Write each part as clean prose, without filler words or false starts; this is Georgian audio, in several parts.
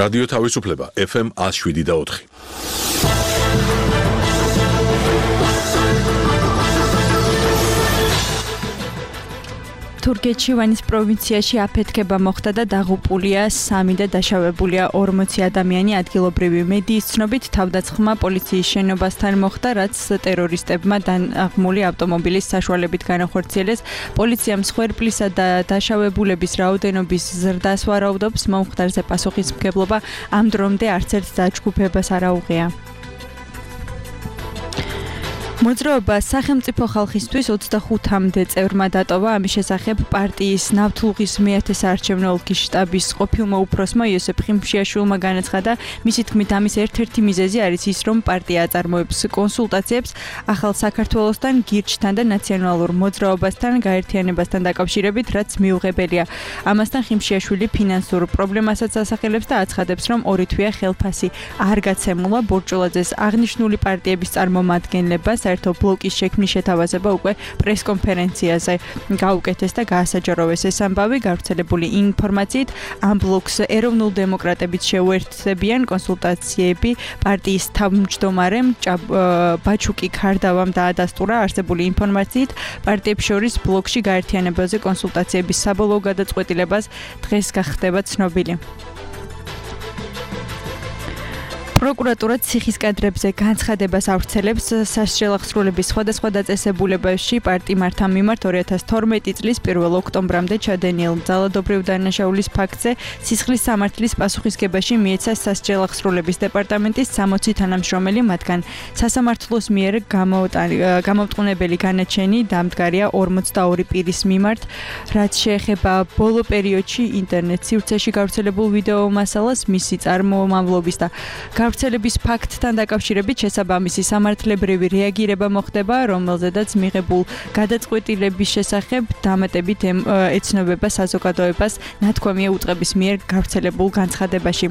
რადიო თავისუფლება FM 107.4. თურქეთში ვანის პროვინციაში აფეთქება მოხდა და დაღუპულია 3 და დაშავებულია 40 ადამიანი. ადგილობრივი მედიის ცნობით თავდასხმა პოლიციის შენობასთან მოხდა, რაც ტერორისტებმა დაღმული ავტომობილის საშუალებით განახორციელეს. პოლიცია მსხვერპლისა და დაშავებულების რაოდენობის ზრდას ვარაუდობს. მომხდარზე პასუხისმგებლობა ამ დრომდე არც ერთ დაჯგუფებას არ აუღია. მოძრაობა სახელმწიფო ხალხისთვის 25-მდე წევრმა დატოვა. ამის შესახებ პარტიის ნავთლუღის მეათე საარჩევნო ოლქის შტაბის ყოფილმა უფროსმა იოსებ ხიმშიაშვილმა განაცხადა. მისი თქმით, ამის ერთ-ერთი მიზეზი არის ის, რომ პარტია აწარმოებს კონსულტაციებს ახალ საქართველოსთან, გირჩთან და ნაციონალურ მოძრაობასთან გაერთიანებასთან დაკავშირებით, რაც მიუღებელია. ამასთან ხიმშიაშვილი ფინანსურ პრობლემასაც ასახელებს და აცხადებს, რომ ორი თვეა ხელფასი არ გაცემულა. ბორჭულაძეს აღნიშნული პარტიების წარმომადგენლებას საერთო ბლოკის შექმნის შეთავაზება უკვე პრესკონფერენციაზე გაუკეთეს და გაასაჯაროვეს. ეს ამბავი გავრცელებული ინფორმაციით ამ ბლოკს ეროვნულ დემოკრატებიც შეუერთდებიან. კონსულტაციები პარტიის თავმჯდომარემ ბაჩუკი ქარდავამ დაადასტურა. არსებული ინფორმაციით პარტიებს შორის ბლოკში გაერთიანებაზე კონსულტაციების საბოლოო გადაწყვეტილებას დღეს გახდება ცნობილი. პროკურატურა ციხის კადრებზე განცხადებას ავრცელებს. სასჯელახსრულების სხვადასხვა დაწესებულებებში პარტიმართა მიმართ 2012 წლის 1 ოქტომბრამდე ჩადენილ ძალადობრივ დანაშაულის ფაქტზე სისხლის სამართლის პასუხისგებაში მიეცა სასჯელახსრულების დეპარტამენტის 60 თანამშრომელი, მათგან სასამართლოს მიერ გამომტყუნებელი განაჩენი დამდგარია 42 პირის მიმართ. რაც შეეხება ბოლო პერიოდში ინტერნეტ სივრცეში გავრცელებულ ვიდეო მასალას, მისი წარმომავლობის და გავრცელების ფაქტთან დაკავშირებით შესაბამისი სამართლებრივი რეაგირება მოხდება, რომელზედაც მიღებულ გადაწყვეტილების შესახებ დამატებით ეცნობება საზოგადოებას, ნათქვამია უწყების მიერ გავრცელებულ განცხადებაში.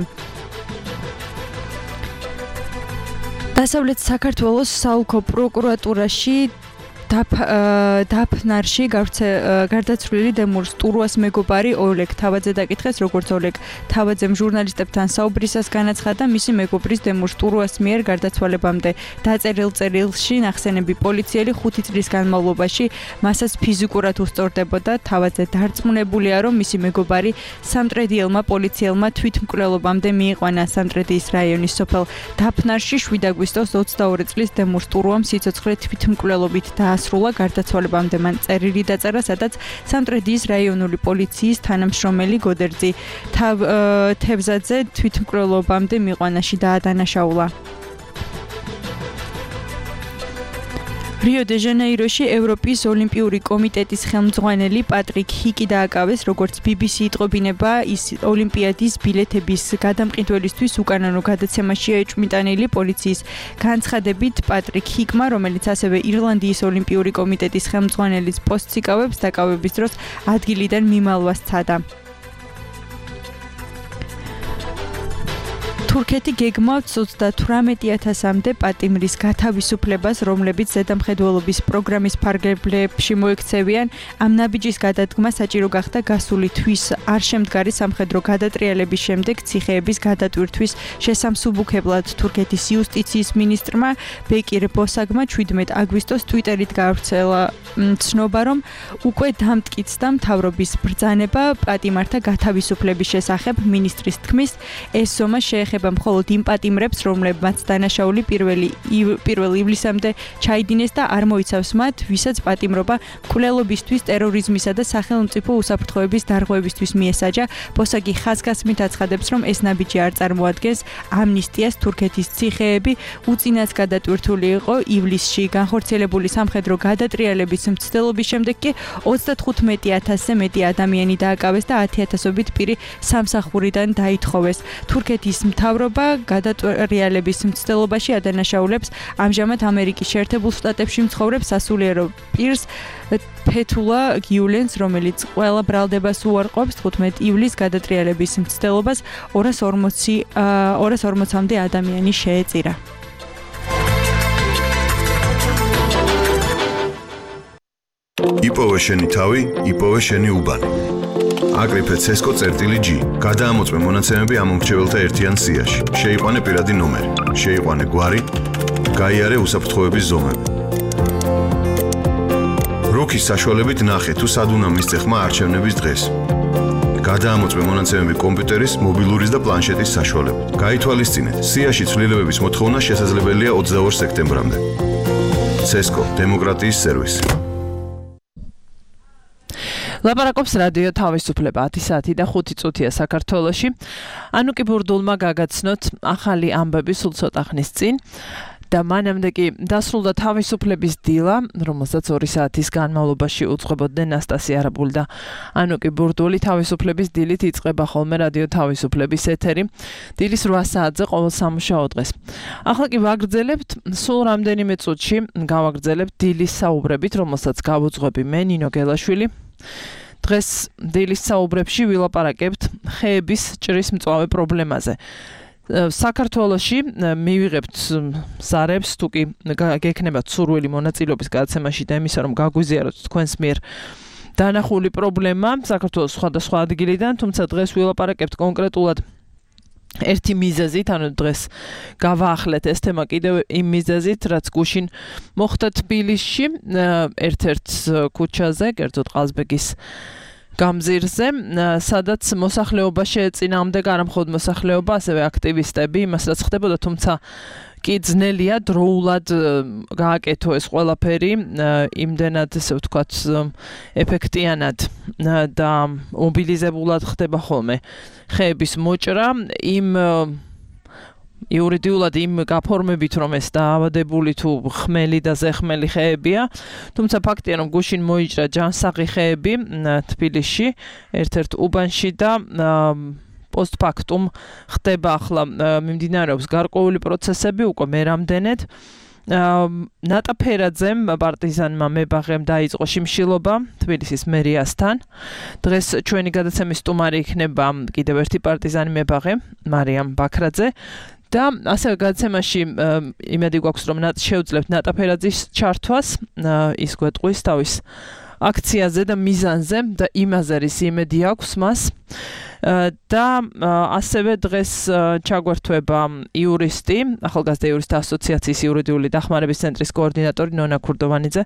დასავლეთ საქართველოს საოლქო პროკურატურაში დაფნარში გარდაცვლილი დემურს ტურუას მეგობარი ოლეგ თავაძე დაკითხეს. როგორც ოლეგ თავაძემ ჟურნალისტებთან საუბრისას განაცხადა, მისი მეგობრის დემურს ტურუას მიერ გარდაცვალებამდე დაწერილ წერილში ნახსენები პოლიციელი 5 წლის განმავლობაში მასაც ფიზიკურად უსწორდებოდა. თავაძე დარწმუნებულია, რომ მისი მეგობარი სამტრედიელმა პოლიციელმა თვითმკვლელობამდე მიიყვანა. სამტრედიის რაიონის სოფელ დაფნარში 7 აგვისტოს 22 წლის დემურს ტურუამ სიცოცხლე თვითმკვლელობით სრულა. გარდაცვალებამდე მან წერილი დაწერა, სადაც სამტრედიის რაიონული პოლიციის თანამშრომელი გოდერძი თევზაძე თვითმკვლელობამდე მიყვანაში დაადანაშაულა. რიო-დე-ჟანეიროში ევროპის ოლიმპიური კომიტეტის ხელმძღვანელი პატრიკ ჰიკი დააკავეს. როგორც BBC იტყობინება, ის ოლიმპიადის ბილეთების გადამყიდველისთვის უკანონო გადაცემაშია ეჭვმიტანილი. პოლიციის განცხადებით, პატრიკ ჰიკმა, რომელიც ასევე ირლანდიის ოლიმპიური კომიტეტის ხელმძღვანელის პოსტს იკავებს, დაკავების დროს ადგილიდან მიმალვა სცადა. თურქეთი გეგმავს 38,000-მდე პატიმრის გათავისუფლებას, რომლებიც ზედამხედველობის პროგრამის ფარგლებში მოექცევიან. ამ ნაბიჯის გადადგმა საჭირო გახდა გასული თვის არ შემდგარი სამხედრო გადატრიალების შემდეგ ციხეების გადატვირთვის შესამსუბუქებლად. თურქეთის იუსტიციის მინისტრმა ბეკირ ბოსაგმა 17 აგვისტოს ტვიტერით გაავრცელა ცნობა, რომ უკვე დამტკიცდა მთავრობის ბრძანება პატიმართა გათავისუფლების შესახებ. მინისტრის თქმის, ეს ზომა შეეხება მხოლოდ იმ პატიმრებს, რომლებმაც დანაშაული 1 ივლისამდე ჩაიდინეს და არ მოიცავს მათ, ვისაც პატიმრობა მკვლელობისთვის, ტერორიზმისა და სახელმწიფო უსაფრთხოების დარღვევისთვის მიესაჯა. ბოსაგი ხაზგასმით აცხადებს, რომ ეს ნაბიჯი არ წარმოადგენს ამნისტიას. თურქეთის ციხეები უწინაც გადატვირთული იყო. ივლისში განხორციელებული სამხედრო გადატრიალების მცდელობის შემდეგ კი 35,000-ზე მეტი ადამიანი დააკავეს და 10,000-ობით პირი სამსახურიდან დაითხოვეს. თურქეთის მთავრობა გადატრიალების მცდელობაში ადანაშაულებს ამჟამად ამერიკის შეერთებულ შტატებში მცხოვრებ სასულიერო პირს ფეთულა გიულენს, რომელიც ყველა ბრალდებას უარყოფს. 15 ივლისს გადატრიალების მცდელობას 240-მდე ადამიანი შეეწირა. იპოვე შენი თავი, იპოვე შენი უბანი. აკრიფე CESCO.G. გადაამოწმე მონაცემები ამ მომრჩეველთა ერთიან სიაში. შეიყვანე პირადი ნომერი, შეიყვანე გვარი, გაიარე უსაფრთხოების ზომები. როქის საშუალებით ნახე თუ სად უნდა მისცე ხმა არჩევნების დღეს. გადაამოწმე მონაცემები კომპიუტერის, მობილურის და პლანშეტის საშუალებით. გაითვალისწინეთ, სიაში ცვლილებების მოთხოვნა შესაძლებელია 22 სექტემბრამდე. CESCO დემოკრატიის სერვისი. ლაპარაკობს რადიო თავისუფლება 10 საათი და 5 წუთია საქართველოში. ანუკი ბურდულმა გაგაცნოთ ახალი ამბები სულ ცოტა ხნის წინ. და მანამდე კი დასრულდა თავისუფლების დილა, რომელსაც 2 საათის განმავლობაში უძღვებოდნენ ნასტასია არაბული და ანუკი ბურდული. თავისუფლების დილით იწყება ხოლმე რადიო თავისუფლების ეთერი. დილის 8 საათზე ყოველ სამუშაო დღეს. ახლა კი ვაგრძელებთ სულ რამდენიმე წუთში გავაგრძელებთ დილის საუბრებით, რომელსაც გავუძღვები მე ნინო გელაშვილი. დღეს დილის საუბრებში ვილაპარაკებთ ხეების ჭრის მწვავე პრობლემაზე. საქართველოში მივიღებთ ზარებს თუ კი გექნებათ სურვილი მონაწილეობის გადაცემაში და იმისა რომ გაგვიზიაროთ თქვენს მიერ დანახული პრობლემა საქართველოს სხვადასხვა ადგილიდან, თუმცა დღეს ვილაპარაკებთ კონკრეტულად ერთი მიზეზით, ანუ დღეს გავაახლეთ ეს თემა კიდევ იმ მიზეზით, რაც გუშინ მოხდა თბილისში, ერთ-ერთ ქუჩაზე, კერძოდ ყაზბეგის გამზირზე, სადაც მოსახლეობა შეეწინააღმდა, არა მხოლოდ მოსახლეობა, ასევე აქტივისტები, იმას რაც ხდებოდა, თუმცა კი ძნელია დროულად გააკეთო ეს ყველაფერი, იმდენად ესე ვთქვათ, ეფექტიანად და მობილიზებულად ხდება ხოლმე ხეების მოჭრა, იმ იურიდიულად იმ გაფორმებით რომ ეს დაავადებული თუ ხმელი და ზეხმელი ხეებია, თუმცა ფაქტია რომ გუშინ მოიჭრა ჯანსაღი ხეები თბილისში, ერთ-ერთ უბანში და პოსტფაქტუმ ხდება ახლა მიმდინარეობს გარკვეული პროცესები უკვე მე რამდენად. ნატა ფერაძემ პარტიზანმა მებაღემ დაიწყო შიმშილობა თბილისის მერიასთან. დღეს ჩვენი გადაცემის სტუმარი იქნება კიდევ ერთი პარტიზანი მებაღე მარიამ ბაქრაძე. და ასევე გადაცემაში იმედი გვაქვს რომ შევძლებთ ნატა ფერაძის ჩართვას, ის გვეტყვის თავის აქციაზე და მიზანზე და იმაზე რის იმედი აქვს მას. და ასევე დღეს ჩაგვერთვება იურისტი, ახალგაზრდა იურისტთა ასოციაციის იურიდიული დახმარების ცენტრის კოორდინატორი ნონა ქურდოვანიძე,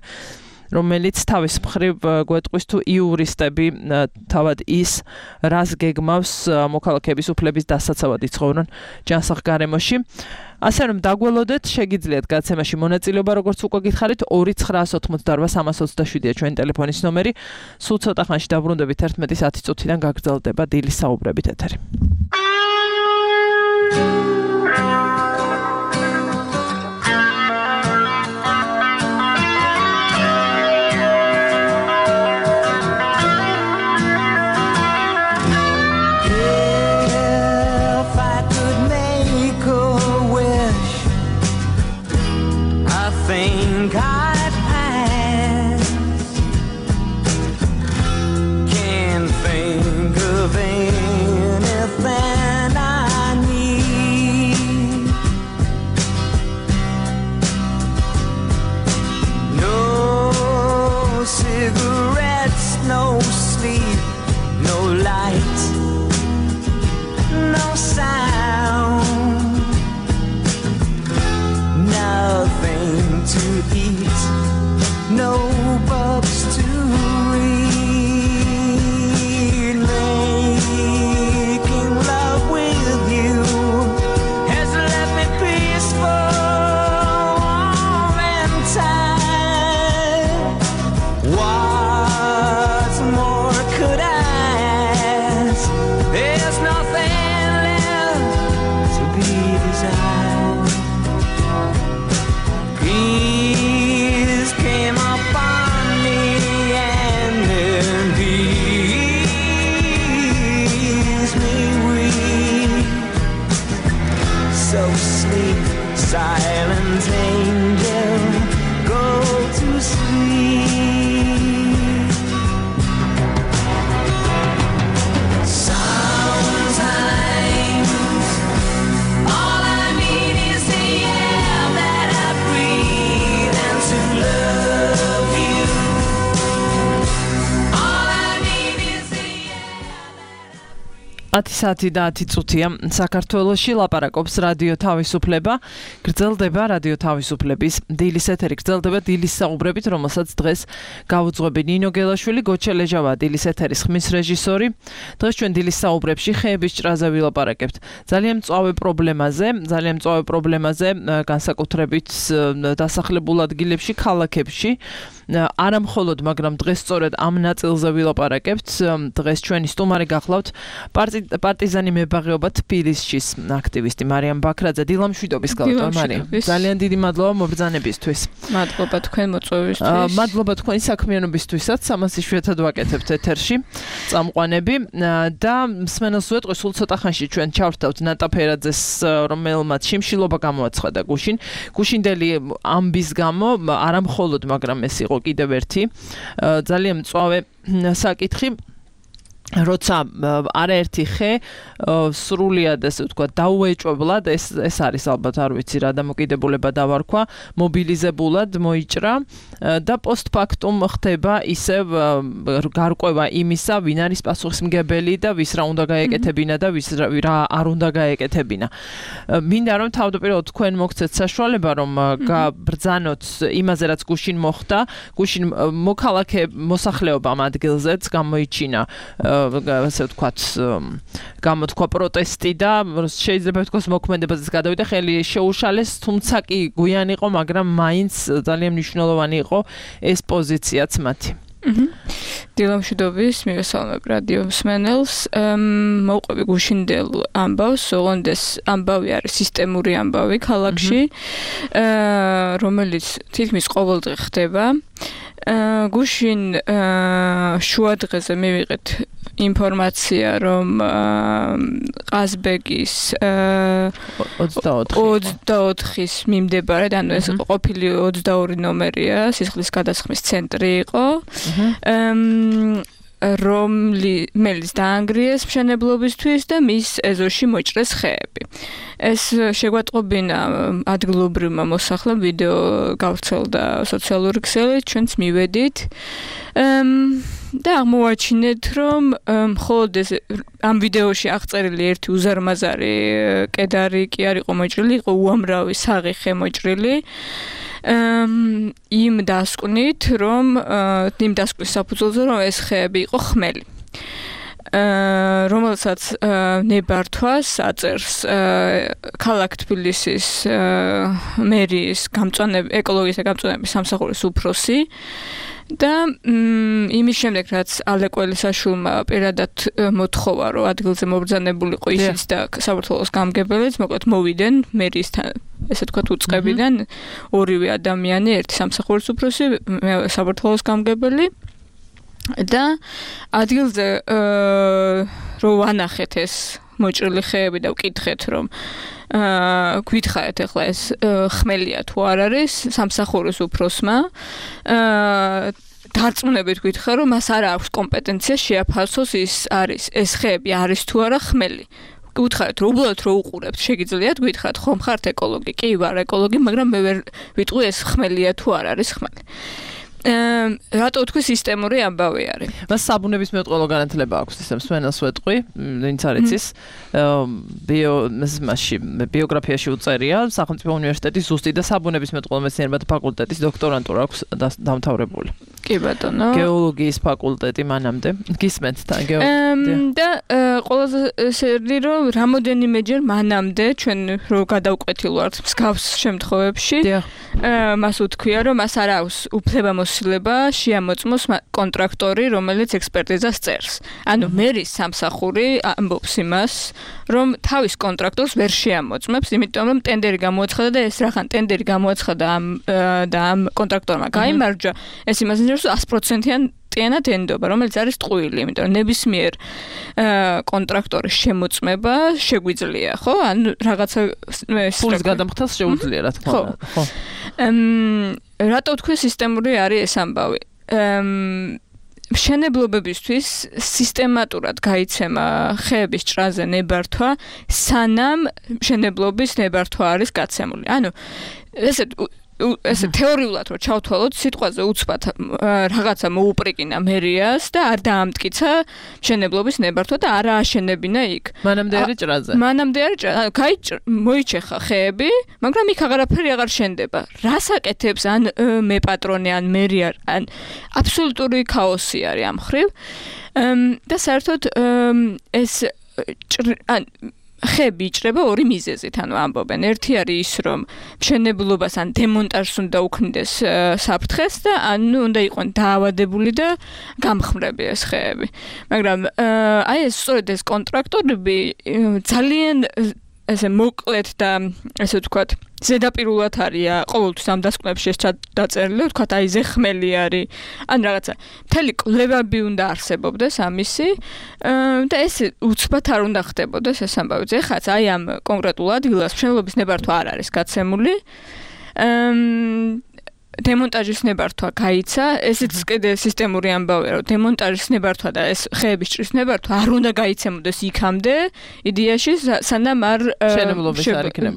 რომელიც თავის მხრივ გვეტყვის თუ იურისტები თავად ის რას გეგმავს მოქალაქეების უფლების დასაცავად იცხოვრონ ჯანსაღ გარემოში. ასე რომ დაგველოდეთ, შეგიძლიათ გადაცემაში მონაწილეობა, როგორც უკვე გითხარით, 2988327-ია ჩვენი ტელეფონის ნომერი. სულ ცოტა ხანში დაბრუნდებით 11:10 წუთიდან გაგრძელდება დილის საუბრებით ეთერი. Can't think of anything I need. 10 საათი და 10 წუთია საქართველოში ლაპარაკობს რადიო თავისუფლება. გრძელდება რადიო თავისუფლების დილის ეთერი, გრძელდება დილის საუბრებით, რომელსაც დღეს გაუძღვები ნინო გელაშვილი, გოჩა ლეჟავა, დილის ეთერის ხმის რეჟისორი. დღეს ჩვენ დილის საუბრებში ხეების ჭრაზე ვილაპარაკებთ. ძალიან მწვავე პრობლემაზე, განსაკუთრებით დასახლებულ ადგილებში, ქალაქებში. არა მხოლოდ, მაგრამ დღეს სწორედ ამ ნაწილზე ვილაპარაკებთ. დღეს ჩვენი სტუმარი გახლავთ პარტიზანი მებაღეობა თბილისის აქტივისტი მარიამ ბაქრაძე. დილამშვიდობის გახლავთ მარიამ. ძალიან დიდი მადლობა მობრძანებისთვის. მადლობა თქვენ მოწვევისთვის. მადლობა თქვენი საქმიანობისთვისაც. ამას იშვიათად ვაკეთებთ ეთერში. წამყვანები და მსმენელს ვეტყვი, სულ ცოტა ხანში ჩვენ ჩავრთავთ ნატა ფერაძეს, რომელმაც შიმშილობა გამოაცხადა გუშინდელი ამბის გამო, არა მხოლოდ, მაგრამ ეს იყო კიდევ ერთი ძალიან მწვავე საკითხი. როცა არაერთი ხე სრულიად ესე ვთქვა დაუეჭვებლად ეს არის ალბათ არ ვიცი რა დამოკიდებულება დავარქვა მობილიზებულად მოიჭრა და პოსტფაქტუმ ხდება ისევ გარკვევა იმისა ვინ არის პასუხისმგებელი და ვის რა უნდა გაეკეთებინა და ვის რა არ უნდა გაეკეთებინა. მინდა რომ თავდაპირველად თქვენ მოგცეთ საშუალება რომ გაბრძანოთ იმაზე რაც გუშინ მოხდა, გუშინ მოქალაქე მოსახლეობა ამ ადგილზეც გამოიჩინა ასე ვთქვათ გამოთქვა პროტესტი და შეიძლება ვთქვათ მოქმედებაზეც გადავიდა ხელი შეუშალეს, თუმცა კი გვიან იყო, მაგრამ მაინც ძალიან მნიშვნელოვანი იყო ეს პოზიციაც მათი. დილამშვიდობის მივესალმებ რადიო მსმენელს. მოვყვები გუშინდელ ამბავს, ოღონდ ეს ამბავი არის სისტემური ამბავი ქალაქში, რომელიც თითქმის ყოველდღე ხდება. გუშინ შუადღეზე მივიღეთ ინფორმაცია, რომ ყაზბეგის 24-ის მიმდებარედ, ანუ ეს ყოფილი 22 ნომერია, სისხლის გადასხმის ცენტრი იყო. რომელიც დაანგრიეს მშენებლობისთვის და მის ეზოში მოჭრეს ხეები. ეს შეგვატყობინა ადგილობრივმა მოსახლემ, ვიდეო გავრცელდა სოციალური ქსელით, ჩვენც მივედით. და აღმოვაჩინეთ, რომ მხოლოდ ეს ამ ვიდეოში აღწერილი ერთი უზარმაზარი კედარი კი არ იყო მოჭრილი, იყო უამრავი საღი ხე მოჭრილი. იმ დასკვნით, რომ იმ დასკვნის საფუძველზე, რომ ეს ხეები იყო ხმელი. რომელსაც ნებართვას აწერს ქალაქ თბილისის მერიის ეკოლოგიის გამწვანების სამსახურის უფროსი. და იმის შემდეგ, რაც ალე კველისაშვილმა პირადად მოთხოვა, რომ ადგილზე მობრძანებულიყო ისიც და საბურთალოს გამგებელიც, მოკლედ მოვიდნენ მერიისთან, ესე თქვათ უწყებიდან ორივე ადამიანი, ერთი სამსახურის უფროსი, მეორე საბურთალოს გამგებელი და ადგილზე რო ვანახეთ ეს მოჭრილი ხეები და ვკითხეთ, რომ გვითხრათ ახლა ეს ხმელია თუ არ არის სამსახურის უფროსმა დარწმუნებით გითხრა, რომ მას არ აქვს კომპეტენცია შეაფასოს ეს ხეები არის თუ არა ხმელი. გითხარით, რომ უბრალოდ რო უყურებთ, შეგიძლიათ გითხრათ, ხომ ხართ ეკოლოგი? კი, ვარ ეკოლოგი, მაგრამ მე ვერ ვიტყვი ეს ხმელია თუ არ არის ხმელი. რატო თქვი სისტემური ამბავი არის? მას საბუნების მეტყველო განათლება აქვს, ისე მსმენელს ვეტყვი, ვინც არ იცის, ბიოგრაფიაში უწერია, სახელმწიფო უნივერსიტეტის ზუსტი და საბუნების მეტყველო მეცნიერებათა ფაკულტეტის დოქტორანტურა აქვს დამთავრებული. კი ბატონო. გეოლოგიის ფაკულტეტი მანამდე. გისმენთ თან და ყველაზე სერდი რომ რამოდენიმეჯერ მანამდე ჩვენ რო გადავკვეთილ ვართ მსგავს შემთხვევებში, მას უთქვია, რომ მას არ აქვს უფლებამოსილება შეამოწმოს კონტრაქტორი, რომელიც ექსპერტიზას წერს. ანუ მერის სამსახური ამბობს იმას, რომ თავის კონტრაქტორს ვერ შეამოწმებს, იმიტომ რომ ტენდერი გამოაცხადა და ეს რახან ტენდერი გამოაცხადა და ამ კონტრაქტორმა გაიმარჯვა, ეს იმას ნიშნავს 100%-იან ტიანად ენდობა, რომელიც არის ტყუილი, იმიტომ რომ ნებისმიერ კონტრაქტორის შემოწმება შეგვიძლია, ხო? ანუ რაღაცა ფულის გადამხდას შეუძლია, რა თქმა უნდა. ხო. რატო თქვი სისტემური არის ეს ამბავი? მშენებლობებისთვის სისტემატურად გაიცემა ხეების ჭრაზე ნებართვა, სანამ მშენებლობის ნებართვა არის გაცემული. ანუ ესეთ ესე თეორიულად რო ჩავთვალოთ, სიტყვაზე უცბად რაღაცა მოუპრიკინა მერიას და არ დაამტკიცა მშენებლობის ნებართვა და არა აშენებინა იქ. მანამდე არის ჭრაზე. მანამდე არის მოიჩეხა ხეები, მაგრამ იქ აღარაფერი აღარ შენდება. რას აკეთებს ან მე პატრონი ან მერი ან აბსოლუტური ქაოსი არის ამ ხრივ. და საერთოდ ეს ხეები იჭრება ორი მიზეზით, ანუ ამბობენ. ერთი არის ის, რომ მშენებლობას ან დემონტაჟს უნდა უქმნიდეს საფრთხეს და ანუ უნდა იყვნენ დაავადებული და გამხმრები ეს ხეები. მაგრამ აი ეს სწორედ ეს კონტრაქტორები ძალიან ესე მოკლედ და ესე ვთქვათ, ზედაპირულად არის ყოველთვის ამ დასკვნებში ეს დაწერილი, ვთქვათ, აი ზეხმელი არის. ან რაღაცა მთელი კვლევები უნდა არსებობდეს ამისი და ეს უცბად არ უნდა ხდებოდეს ეს ამბავი. ეხაც აი ამ კონკრეტულ ადგილას მშენებლობის ნებართვა არ არის გაცემული. დემონტაჟის ნებართვა გაიცა, ესეც კიდე სისტემური ამბავია, რომ დემონტაჟის ნებართვა და ეს ხეების ჭრის ნებართვა არ უნდა გაიცემოდეს იქამდე, იდეაში სანამ არ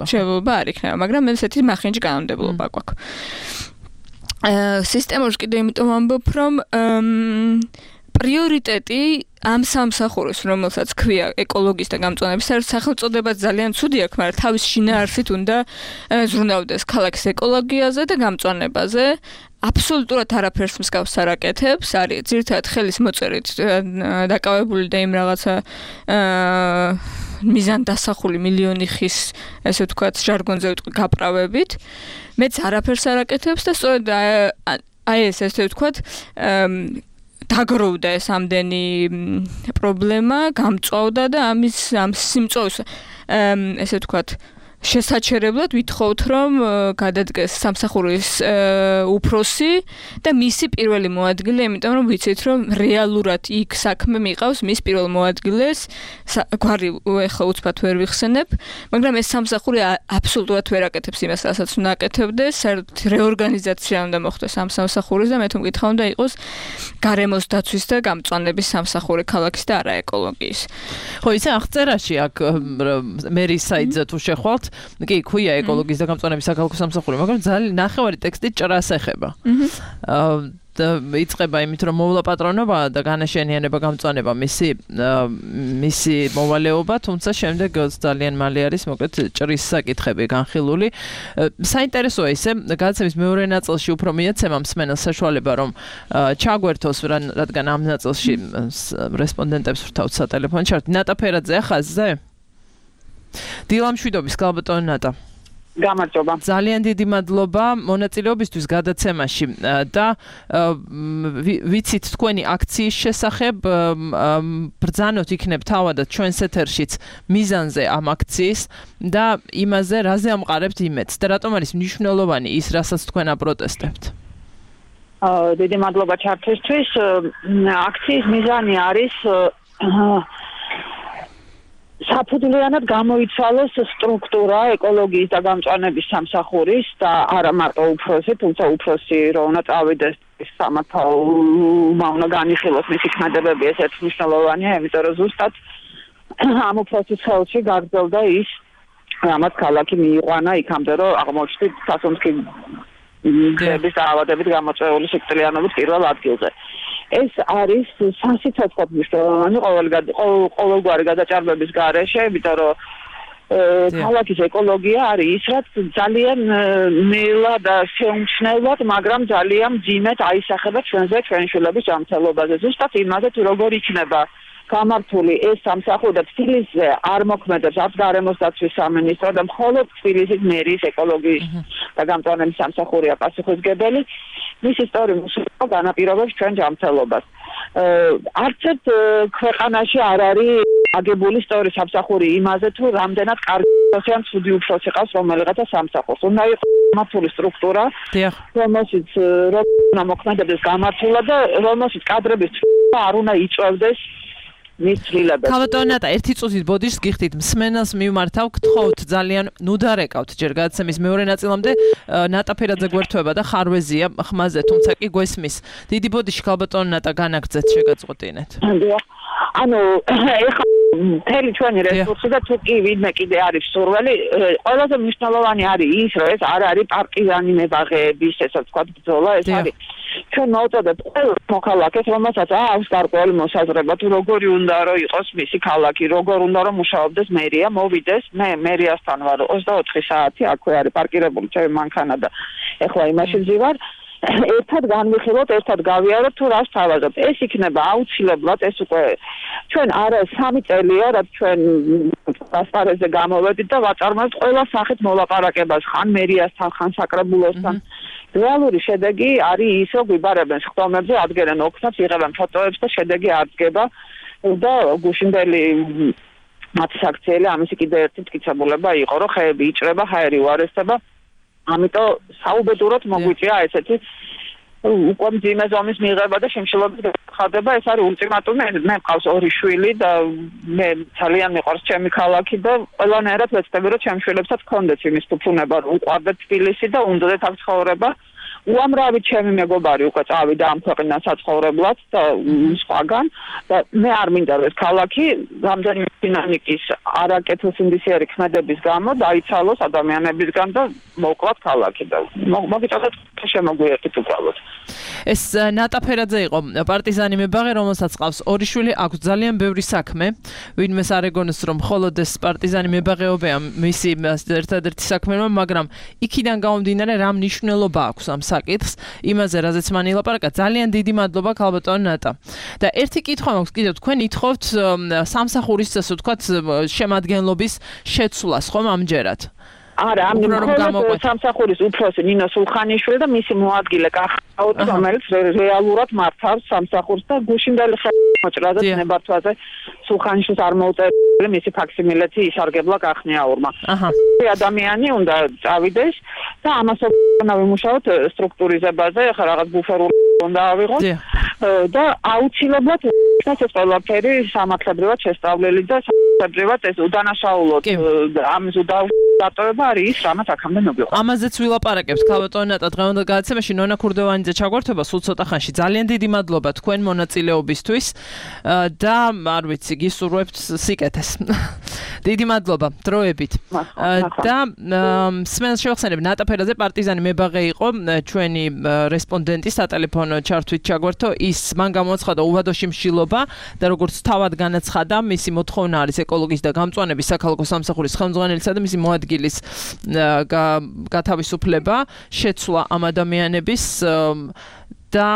შევლობა არ იქნება, მაგრამ ესეთი მახინჯი კანონმდებლობა გვაქვს. სისტემაში კიდე იმიტომ ამბობ, რომ პრიორიტეტი ამ სამსახურს, რომელსაც ქვია ეკოლოგის და გამწვანების სახელწოდება ძალიან ცუდი აქვს, მაგრამ თავის შინაარსით უნდა ზრუნავდეს ქალაქის ეკოლოგიაზე და გამწვანებაზე. აბსოლუტურად არაფერს მსგავს არ აკეთებს, არის ძირითადად ხელის მოწერით დაკავებული და იმ რაღაცა მიზანდასახული მილიონი ხის, ესე ვთქვათ, ჟარგონზე ვიტყვი გაправებით. მეც არაფერს არ აკეთებს და სწორედ აი ეს ესე ვთქვათ დაგროვდა ეს ამდენი პრობლემა, გამწვავდა და ამ სიმწოვის ესე ვთქვათ შესაჩერებლად ვითხოვთ, რომ გადადგეს სამსახურის უფროსი და მისი პირველი მოადგილე, იმიტომ რომ ვიცით, რომ რეალურად იქ საქმე მიყავს მის პირველ მოადგილეს, გვარი ეხლა უცბად ვერ ვიხსენებ, მაგრამ ეს სამსახური აბსოლუტურად ვერ აკეთებს იმას, რასაც უნდა აკეთებდეს, საერთოდ რეორგანიზაცია უნდა მოხდეს ამ სამსახურის და მე თუ მკითხა უნდა იყოს გარემოს დაცვის და გამწვანების სამსახური ქალაქის და არა ეკოლოგიის. ხო, იცი აღწერაში აქ მერის საიტზე თუ შეხვალთ კი, ქვია ეკოლოგიის და გამწვანების საქალაქო სამსახური, მაგრამ ძალიან ნახევარი ტექსტი ჭრას ეხება. და იწყება იმით, რომ მოვლა პატრონობა და განაშენიანება გამწვანება მისი მოვალეობა, თუმცა შემდეგ ძალიან მალე არის მოკლედ ჭრის საკითხები განხილული. საინტერესოა ისე, გადაცემის მეორე ნაწილში უფრო მიეცემა მსმენელს საშუალება, რომ ჩაგვერთოს, რადგან ამ ნაწილში რესპონდენტებს ვრთავთ სატელეფონო ჩარტი. ნატა ფერაძე ახაზზე? დილამშვიდობის, გალბატონო ნატა. გამარჯობა. ძალიან დიდი მადლობა მონაწილეობისთვის გადაცემაში და ვიცით თქვენი აქციის შესახებ, ბრძანოთ იქნებ თავადად ჩვენს ეთერშიც მიზანზე ამ აქციის და იმაზე, რაზე ამყარებთ იმედს და რატომ არის მნიშვნელოვანი ის, რასაც თქვენ აპროტესტებთ? დიდი მადლობა ჩართვისთვის. აქციის მიზანი არის საფუძვლიანად გამოიცვალოს სტრუქტურა ეკოლოგიის და გამწვანების სამსახურის და არა მარტო უფროსი, თუმცა უფროსი რო უნდა წავიდეს სამართალმა უნდა განიხილოს მისი ქმედებები, ეს ერთ მნიშვნელოვანია, იმიტომ რომ ზუსტად ამ უფროსის ხელში გაგრძელდა ის, რამაც ქალაქი მიიყვანა იქამდე, რომ აღმოჩნდით სასუნთქი დების დაავადებით გამოწვეული სიკვდილიანობით პირველ ადგილზე. ეს არის სასიცოცხლოდ მნიშვნელოვანი ყოველგვარი გადაჭარბების გარეშე, იმიტომ რომ ქალაქის ეკოლოგია არის ის, რაც ძალიან ნელა და შეუმჩნევლად, მაგრამ ძალიან მძიმედ აისახება ჩვენზე, ჩვენი შვილების ჯანმრთელობაზე. ზუსტად იმაზე, თუ როგორ იქნება გამართული ეს სამსახური და თბილისზე არ მოქმედებს არც გარემოს დაცვის სამინისტრო და მხოლოდ თბილისის მერის ეკოლოგიის და გამწვანების სამსახურია პასუხისმგებელი. მის ისტორიულ განაპირობებს ჩვენ ჯანმრთელობას. არც ერთ ქვეყანაში არ არის აგებული სწორი სამსახური იმაზე, თუ რამდენად კარგი უფროსი ან ცუდი უფროსი ყავს რომელიღაცა სამსახურს. უნდა იყოს მართული სტრუქტურა, რომელშიც უნდა მოქმედებდეს გამართულად და რომელშიც კადრების თვალსაჩინო არ უნდა იწვევდეს გალბატონო ნატა, ერთი წუთით ბოდიშს გიხდით, მსმენელს მივმართავ, გთხოვთ ძალიან, ნუ დარეკავთ ჯერ გადაცემის მეორე ნაწილამდე, ნატა ფერაძე გვერდება და ხარვეზია ხმაზე, თუმცა კი გვესმის. დიდი ბოდიში გალბატონო ნატა განაგრძეთ, შეგაწყვეტინეთ. ანუ ეხლა მთელი ჩვენი რესურსი და თუ კი ვინმე კიდე არის სურვილი, ყველაზე მნიშვნელოვანი არის ის, რომ ეს არ არის პარტიზანი მებაღეების, ესე ვთქვათ, ბრძოლა, ეს არის ჩვენ მოვწოდეთ ყველა მოქალაქეს, რომელსაც აქვს გარკვეული მოსაზრება, თუ როგორი უნდა რომ იყოს მისი ქალაქი, როგორ უნდა რომ მუშაობდეს მერია, მოვიდეს, მე მერიასთან ვარ 24 საათი, აქვე არის პარკირებული ჩემი მანქანა და ეხლა იმაში ვზივარ. ერთად განვიხილოთ, ერთად გავიაროთ თუ რას თავაზობთ. ეს იქნება აუცილებლად, ეს უკვე ჩვენ არა 3 წელია, რაც ჩვენ ასპარეზზე გამოვედით და ვაწარმოებთ ყველა სახით მოლაპარაკებას, ხან მერიასთან, ხან საკრებულოსთან. რეალური შედეგი არის ის, რომ გვიბარებენ სხდომებზე, ადგენენ ოქნებს, იღებენ ფოტოებს და შედეგი არ დგება და გუშინდელი მათი საქციელი ამისი კიდე ერთი მტკიცებულება იყო, რომ ხეები იჭრება, ჰაერი უარესდება. ამიტომ საუბედუროდ მოგვიწია ესეთი უკვე მძიმე ზომის მიღება და შიმშილობის გახადება, ეს არის ულტიმატუმი. მე მყავს 2 შვილი და მე ძალიან მიყვარს ჩემი ქალაქი და ყველანაირად ვეცდები, რომ ჩემს შვილებსაც ჰქონდეს იმის ფუფუნება, რომ უყვარდეთ თბილისი და უნდათ აქ ცხოვრება. უამრავი ჩემი მეგობარი უკვე წავიდა ამ ქვეყნიდან საცხოვრებლად და სხვაგან და მე არ მინდა რომ ეს ქალაქი რამდენიმე დინამიკის არაკეთილსინდისიერი ქმედების გამო დაიცალოს ადამიანებისგან და მოკლათ ქალაქი და მოგიწოდეთ შემოგვიერთით უბრალოდ. ეს ნატა ფერაძე იყო პარტიზანი მებაღე, რომელსაც ყავს 2 შვილი, აქვს ძალიან ბევრი საქმე. ვინმეს არ ეგონოს რომ მხოლოდ ეს პარტიზანი მებაღეობია მისი ერთადერთი საქმე, მაგრამ იქიდან გამომდინარე რა მნიშვნელობა აქვს ამ საკითხს, იმაზე რაზეც მან ილაპარაკა. ძალიან დიდი მადლობა ქალბატონ ნატა. და ერთი კითხვა მაქვს კიდევ, თქვენ ითხოვთ სამსახურის ასე ვთქვათ შემადგენლობის შეცვლას, ხომ ამჯერად? არა, ამ სამსახურის უფროსი ნინო სულხანიშვილი და მისი მოადგილე კახაუტი, რომელიც რეალურად მართავს სამსახურს და გუშინდელი მოჭრაზე ნებართვაზე სულხანიშვილს არ მოუწერია მისი ფაქსიმილეთი ისარგებლა კახნიაურმა. ადამიანი უნდა წავიდეს და ამას უნდა ვიმუშაოთ სტრუქტურიზებაზე, ახლა რაღაც ბუფერული უნდა ავიღოთ და აუცილებლად ეს ყველაფერი სამართლებრივად შესწავლილი და სამართლებრივად ეს უდანაშაულოდ ამის დატოვება არის ის, რამაც აქამდე მოგვიყვა. ამაზეც ვილაპარაკებთ ქალბატონ ნატა დღევანდელ გადაცემაში. ნონა ქურდოვანიძე ჩაგვერთვება სულ ცოტა ხანში. ძალიან დიდი მადლობა თქვენ მონაწილეობისთვის და არ ვიცი, გისურვებთ სიკეთეს. დიდი მადლობა დროებით. და სმენელს შევახსენებ, ნატა ფერაძე პარტიზანი მებაღე იყო ჩვენი რესპონდენტი სატელეფონო ჩართვით ჩაგვერთო. ის მან გამოაცხადა უვადო შიმშილობა და როგორც თავად განაცხადა, მისი მოთხოვნა არის ეკოლოგის და გამწვანების საქალაქო სამსახურის ხელმძღვანელისა და მისი მოადგილის გათავისუფლება, შეცვლა ამ ადამიანების და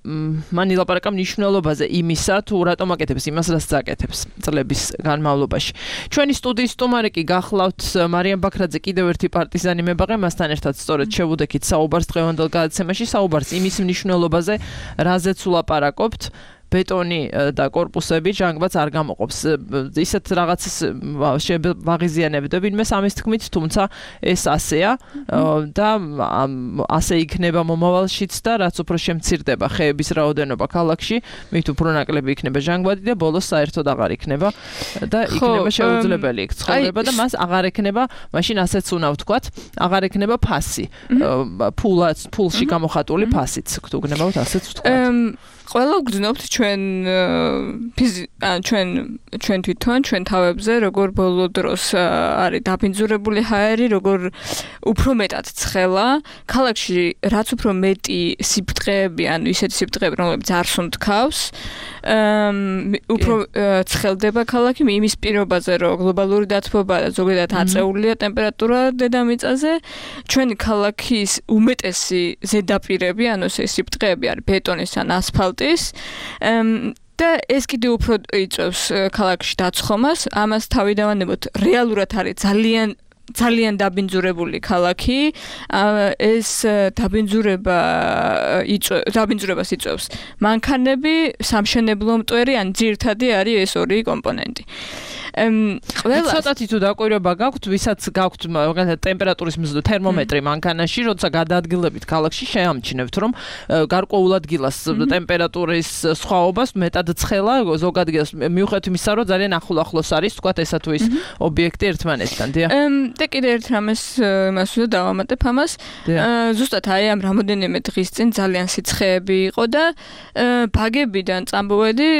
მან ილაპარაკა მნიშვნელობაზე იმისა, თუ რატომ აკეთებს იმას, რაც წაკეთებს წლების განმავლობაში. ჩვენი სტუდიის სტუმარი კი გახლავთ მარიამ ბაქრაძე, კიდევ ერთი პარტიზანი მებაღე, მასთან ერთად სწორედ შევუდექით საუბარს დღევანდელ გადაცემაში, საუბარს იმის მნიშვნელობაზე, რაზეც ვლაპარაკობთ. ბეტონი და კორპუსები ჟანგბადს არ გამოყოფს. ისეთ რაღაცას ვაღიზიანებდა ვინმე ამის თქმით, თუმცა ეს ასეა და ასე იქნება მომავალშიც და რაც უფრო შემცირდება ხეების რაოდენობა ქალაქში, მით უფრო ნაკლები იქნება ჟანგბადი და ბოლოს საერთოდ აღარ იქნება და იქნება შეუძლებელი იქ ცხოვრება და მას აღარ ექნება, მაშინ ასეც უნდა ვთქვათ, აღარ ექნება ფასი. ფულში გამოხატული ფასიც გქნებავთ ასეც ვთქვათ. ყველა ვგრძნობთ ჩვენ თვითონ ჩვენ თავებზე, როგორ ბოლო დროს არის დაბინძურებული ჰაერი, როგორ უფრო მეტად ცხელა. ქალაქში რაც უფრო მეტი სიბრტყეები, ანუ ისეთი სიბრტყეები, რომლებიც არ სუნთქავს, უფრო ცხელდება ქალაქი იმის პირობაზე, რომ გლობალური დათბობა და ზოგადად აწეულია ტემპერატურა დედამიწაზე. ჩვენი ქალაქის უმეტესი ზედაპირები, ანუ ეს სიბრტყეები არის ბეტონის ან ასფალტის და ეს კიდე უფრო იწვევს ქალაქში დაცხომას. ამას თავიდანვე რეალურად არის ძალიან დაბინძურებული ქალაქი. ეს დაბინძურებას იწვევს მანქანები, სამშენებლო მტვერი, ან ძირითადი არის ეს 2 კომპონენტი. ყველა ცოტათი თუ დაკვირვება გაქვთ, ვისაც გაქვთ ტემპერატურის თერმომეტრი მანქანაში, როცა გადაადგილებით ქალაქში შეამჩნევთ, რომ გარკვეულ ადგილას ტემპერატურის სხვაობას მეტად ცხელა ზოგ ადგილას მიუხედავად იმისა, რომ ძალიან ახლოს არის, თქვათ ესა თუ ის ობიექტი ერთმანეთთან, დიახ. და კიდე ერთ რამეს იმას უნდა დავამატებ ამას. ზუსტად აი ამ რამოდენიმე დღის წინ ძალიან სიცხეები იყო და ბაგებიდან წამოვედი,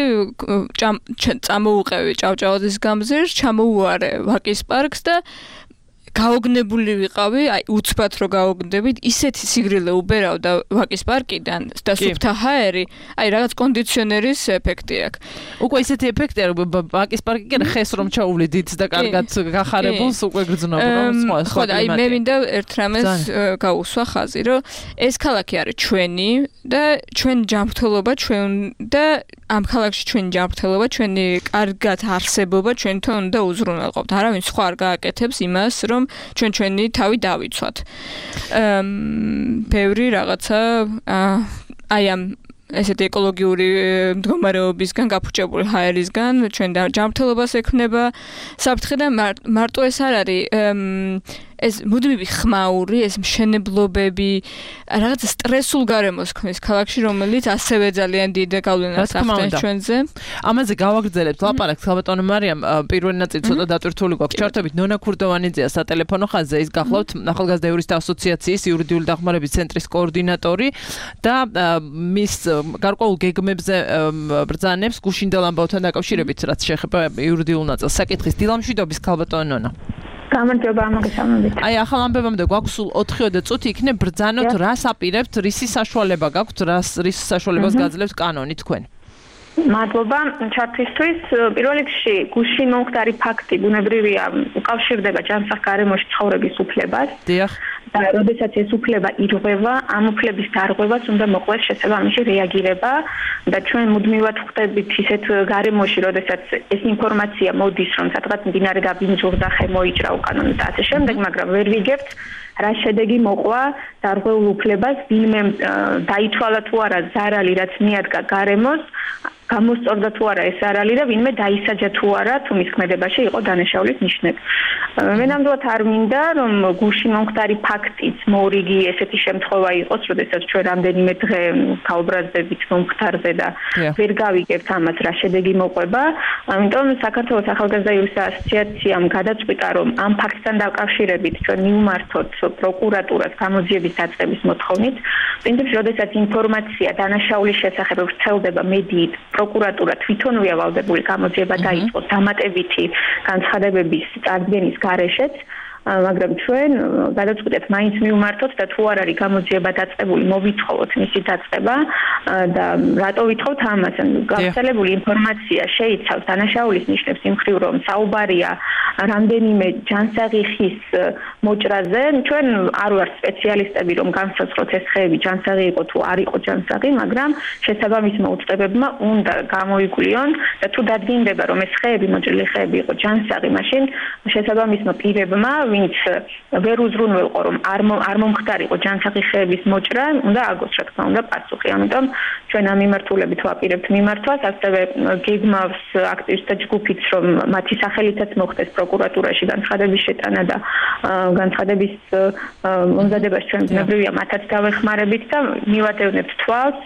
წამოუყევი ჭავჭავაძის გამზირს, ჩამოუარე ვაკის პარკს და გაოგნებული ვიყავი, აი უცბად რო გაოგნდებით, ისეთი სიგრილე უბერავდა ვაკის პარკიდან და სუფთა ჰაერი, აი რაღაც კონდიციონერის ეფექტი აქვს. უკვე ისეთი ეფექტია, რომ ვაკის პარკი კი ხეს რომ ჩაუვლიდით და კარგად გახარებულს უკვე გრძნობ, რომ სხვა აი მე მინდა ერთ რამეს გაუსვა ხაზი, რომ ეს ქალაქი არის ჩვენი და ჩვენ ჯანმრთელობა ჩვენ და ამ ქალაქში ჩვენი ჯანმრთელობა, ჩვენი კარგად არსებობა ჩვენთან უნდა უზრუნველყოფთ. არავინ სხვა არ გააკეთებს იმას, რომ ჩვენი თავი დავიცვათ. ბევრი რაღაცა აი ამ ესეთი ეკოლოგიური მდგომარეობისგან, გაფუჭებული ჰაერისგან ჩვენ ჯანმრთელობას ექმნება საფრთხე და მარტო ეს არ არის ეს მუდმივი ხმაური, ეს მშენებლობები, რაღაც სტრესულ გარემოს ქმნის ქალაქში, რომელიც ასევე ძალიან დიდ გავლენას ახდენს ჩვენზე. ამაზე გავაგრძელებთ ლაპარაკს, ხალბატონო მარიამ, პირველი ნაწილი ცოტა დატვირთული გვაქვს. ჩართობით ნონა ქურდოვანიძეა სატელეფონო ხაზზე, ის გახლავთ ახალგაზრდა იურისტთა ასოციაციის იურიდიული დახმარების ცენტრის კოორდინატორი და მის გარკვეულ გეგმებზე ბრძანებს გუშინდელ ამბავთან დაკავშირებით, რაც შეეხება იურიდიულ ნაწილს. საკითხის დილამშვიდობის ხალბატონო ნონა. გამარჯობა მოგესალმებით. აი ახალ ამბებამდე გვაქვს სულ 4 წუთი იქნებ ბრძანოთ, რას აპირებთ, რისი საშუალება გაქვთ, რის საშუალებას გაძლევთ კანონი თქვენ? მადლობა ჩართვისთვის. პირველ რიგში გუშინ მომხდარი ფაქტი ბუნებრივია უკავშირდება ჯანსაღ გარემოში ცხოვრების უფლებას. დიახ. და როდესაც ეს უფლება ირღვევა, ამ უფლების დარღვევას უნდა მოყვეს შესაბამისი რეაგირება და ჩვენ მუდმივად ხვდებით ისეთ გარემოში, როდესაც ეს ინფორმაცია მოდის, რომ სადღაც მდინარე დაბინძურდა, ხე მოიჭრა უკანონო და ასე შემდეგ, მაგრამ ვერ ვიგებთ რა შედეგი მოყვა დარღვეულ უფლებას, ვინმე დაითვალა თუ არა ზარალი, რაც მიადგა გარემოს, გამოსწორდა თუ არა ეს ზარალი და ვინმე დაისაჯა თუ არა, თუ მის ქმედებაში იყო დანაშაულის ნიშნები. მე ნამდვილად არ მინდა, რომ გუშინ მომხდარი ფაქტიც მორიგი ესეთი შემთხვევა იყოს, როდესაც ჩვენ რამდენიმე დღე გაუბრაზდებით მომხდარზე და ვერ გავიგებთ ამას რა შედეგი მოყვება. ამიტომ საქართველოს ახალგაზრდა იურისტთა ასოციაციამ გადაწყვიტა, რომ ამ ფაქტთან დაკავშირებით ჩვენ მივმართოთ პროკურატურას გამოძიების დაწყების მოთხოვნით. პრინციპში, როდესაც ინფორმაცია დანაშაულის შესახებ ვრცელდება მედიით, პროკურატურა თვითონვეა ვალდებული გამოძიება დაიწყოს დამატებითი განცხადებების წარდგენის გარეშეც, მაგრამ ჩვენ გადაწყვეტეთ მაინც მივმართოთ და თუ არ არის გამოძიება დაწყებული, მოვითხოვოთ მისი დაწყება და რატო ვითხოვთ ამას? გავრცელებული ინფორმაცია შეიცავს დანაშაულის ნიშნებს იმ მხრივ, რომ საუბარია რამდენიმე ჯანსაღი ხის მოჭრაზე. ჩვენ არ ვართ სპეციალისტები, რომ განსაზღვროთ ეს ხეები ჯანსაღი იყო თუ არ იყო ჯანსაღი, მაგრამ შესაბამისმა უწყებებმა უნდა გამოიკვლიონ და თუ დადგინდება, რომ ეს ხეები, მოჭრილი ხეები იყო ჯანსაღი, მაშინ შესაბამისმა პირებმა, ვინც ვერ უზრუნველყო, რომ არ მომხდარიყო ჯანსაღი ხეების მოჭრა, უნდა აგოს რა თქმა უნდა პასუხი. ამიტომ ჩვენ ამ მიმართულებით ვაპირებთ მიმართვას, ასევე გეგმავს აქტივისტთა ჯგუფიც, რომ მათი სახელითაც მოხდეს პროკურატურაში განცხადების შეტანა და განცხადების მომზადებას ჩვენ ბუნებრივია მათაც დავეხმარებით და მივადევნებთ თვალს,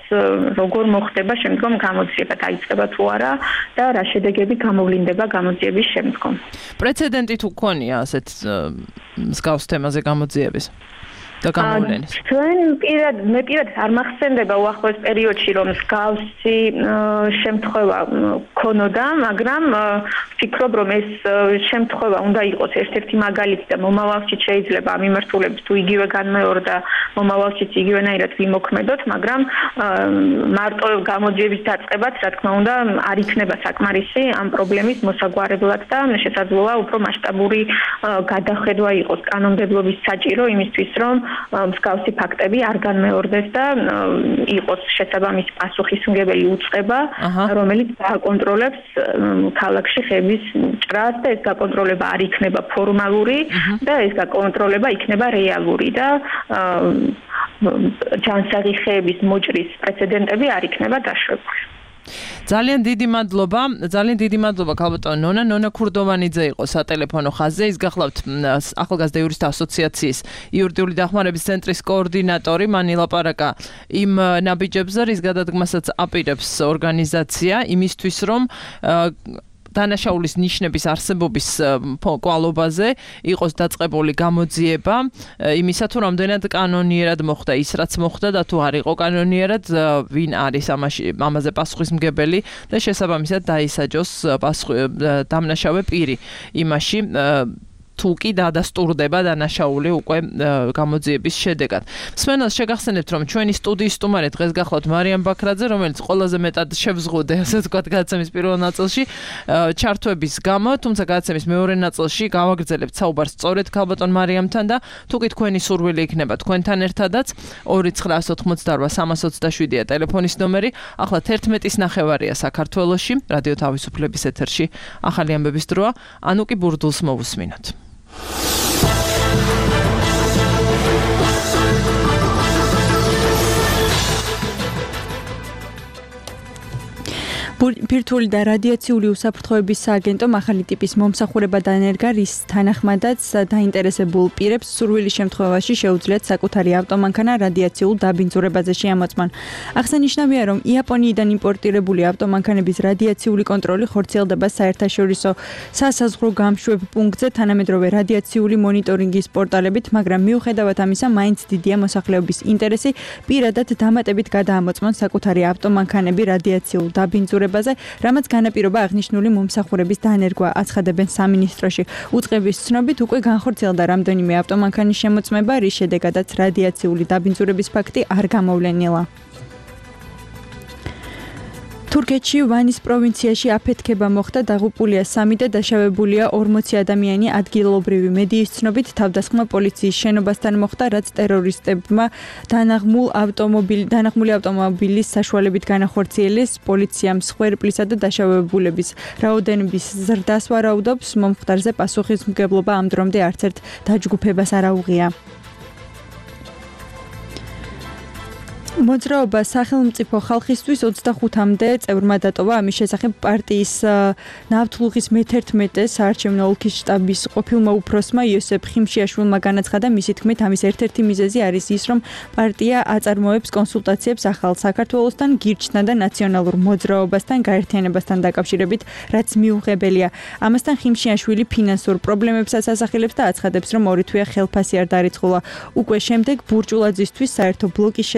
როგორ მოხდება შემდგომ გამოძიება, დაიწყება თუ არა და რა შედეგები გამოვლინდება გამოძიების შემდგომ. პრეცედენტი თუ გქონია ასეთ მსგავს თემაზე გამოძიების და გამოვლენის? ჩვენ მე პირადად არ მახსენდება უახლოეს პერიოდში, რომ მსგავსი შემთხვევა ქონოდა, მაგრამ ვფიქრობ, რომ ეს შემთხვევა უნდა იყოს ერთ-ერთი მაგალითი და მომავალში შეიძლება ამ მიმართულებით თუ იგივე განმეორდა, მომავალშიც იგივენაირად ვიმოქმედოთ, მაგრამ მარტო გამოძიების დაწყებაც, რა თქმა უნდა, არ იქნება საკმარისი ამ პრობლემის მოსაგვარებლად და შესაძლოა უფრო მასშტაბური გადახედვა იყოს კანონმდებლობის საჭირო იმისთვის, რომ მსგავსი ფაქტები არ განმეორდეს და იყოს შესაბამისი პასუხისმგებელი უწყება, რომელიც გააკონტროლებს ქალაქში ხეების ჭრას და ეს გაკონტროლება არ იქნება ფორმალური და ეს გაკონტროლება იქნება რეალური და ჯანსაღი ხეების მოჭრის პრეცედენტები არ იქნება დაშვებული. ძალიან დიდი მადლობა ქალბატონო ნონა ქურდოვანიძე იყო სატელეფონო ხაზზე. ის გახლავთ ახალგაზრდა იურისტთა ასოციაციის იურიდიული დახმარების ცენტრის კოორდინატორი. მან ილაპარაკა იმ ნაბიჯებზე, რის გადადგმასაც აპირებს ორგანიზაცია იმისთვის, რომ დანაშაულის ნიშნების არსებობის კვალობაზე იყოს დაწყებული გამოძიება იმისა თუ რამდენად კანონიერად მოხდა ის რაც მოხდა და თუ არ იყო კანონიერად ვინ არის ამაზე პასუხისმგებელი და შესაბამისად დაისაჯოს დამნაშავე პირი იმაში თუ კი დადასტურდება დანაშაული უკვე გამოძიების შედეგად. მსმენელს შეგახსენებთ, რომ ჩვენი სტუდიის სტუმარი დღეს გახლავთ მარიამ ბაქრაძე, რომელიც ყველაზე მეტად შევზღუდე, ასე ვთქვათ, გადაცემის პირველ ნაწილში ჩართვების გამო, თუმცა გადაცემის მეორე ნაწილში გავაგრძელებთ საუბარს სწორედ ქალბატონ მარიამთან და თუ კი თქვენი სურვილი იქნება თქვენთან ერთადაც 298-327-ა ტელეფონის ნომერი, ახლა 11:09 საქართველოში, რადიო თავისუფლების ეთერში ახალი ამბების დროა, ანუკი ბურდულს მოვუსმინოთ. ბირთვული და რადიაციული უსაფრთხოების სააგენტომ ახალი ტიპის მომსახურება დაენერგა, რის თანახმადაც დაინტერესებულ პირებს სურვილის შემთხვევაში შეუძლიათ საკუთარი ავტომანქანა რადიაციულ დაბინძურებაზე შეამოწმონ. აღსანიშნავია, რომ იაპონიიდან იმპორტირებული ავტომანქანების რადიაციული კონტროლი ხორციელდება საერთაშორისო სასაზღვრო გამშვებ პუნქტზე თანამედროვე რადიაციული მონიტორინგის პორტალებით, მაგრამ მიუხედავად ამისა, მაინც დიდია მოსახლეობის ინტერესი პირადად დამატებით გადაამოწმონ საკუთარი ავტომანქანები რადიაციულ დაბინძურებაზე, რამაც განაპირობა აღნიშნული მომსახურების დაანერგვა აცხადებენ სამინისტროში. უწყების ცნობით უკვე განხორციელდა რამდენიმე ავტომანქანის შემოწმება, რის შედეგადაც რადიაციული დაბინძურების ფაქტი არ გამოვლენილა. თურქეთში ვანის პროვინციაში აფეთქება მოხდა, დაღუპულია 3 და დაშავებულია 40 ადამიანი. ადგილობრივი მედიის ცნობით თავდასხმა პოლიციის შენობასთან მოხდა, რაც ტერორისტებმა დანახმული ავტომობილის საშუალებით განახორციელეს. პოლიციამ მსხვერპლისა და დაშავებულების რაოდენობის ზრდას ვარაუდობს. მომხდარზე პასუხისმგებლობა ამ დრომდე არც ერთ დაჯგუფებას არ აუღია. მოძრაობა სახელმწიფო ხალხისთვის 25-მდე წევრმა დატოვა. ამის შესახებ პარტიის ნავთლუღის მე-11 საარჩევნო ოლქის შტაბის ყოფილმა უფროსმა იოსებ ხიმშიაშვილმა განაცხადა, მისი თქმით, ამის ერთ-ერთი მიზეზი არის ის, რომ პარტია აწარმოებს კონსულტაციებს ახალ საქართველოსთან, გირჩთან და ნაციონალურ მოძრაობასთან გაერთიანებასთან დაკავშირებით, რაც მიუღებელია. ამასთან ხიმშიაშვილი ფინანსურ პრობლემებსაც ასახელებს და აცხადებს, რომ ორი თვეა ხელფასი არ დარიცხულა. უკვე შემდეგ ბურჯულაძისთვის საერთო ბლოკის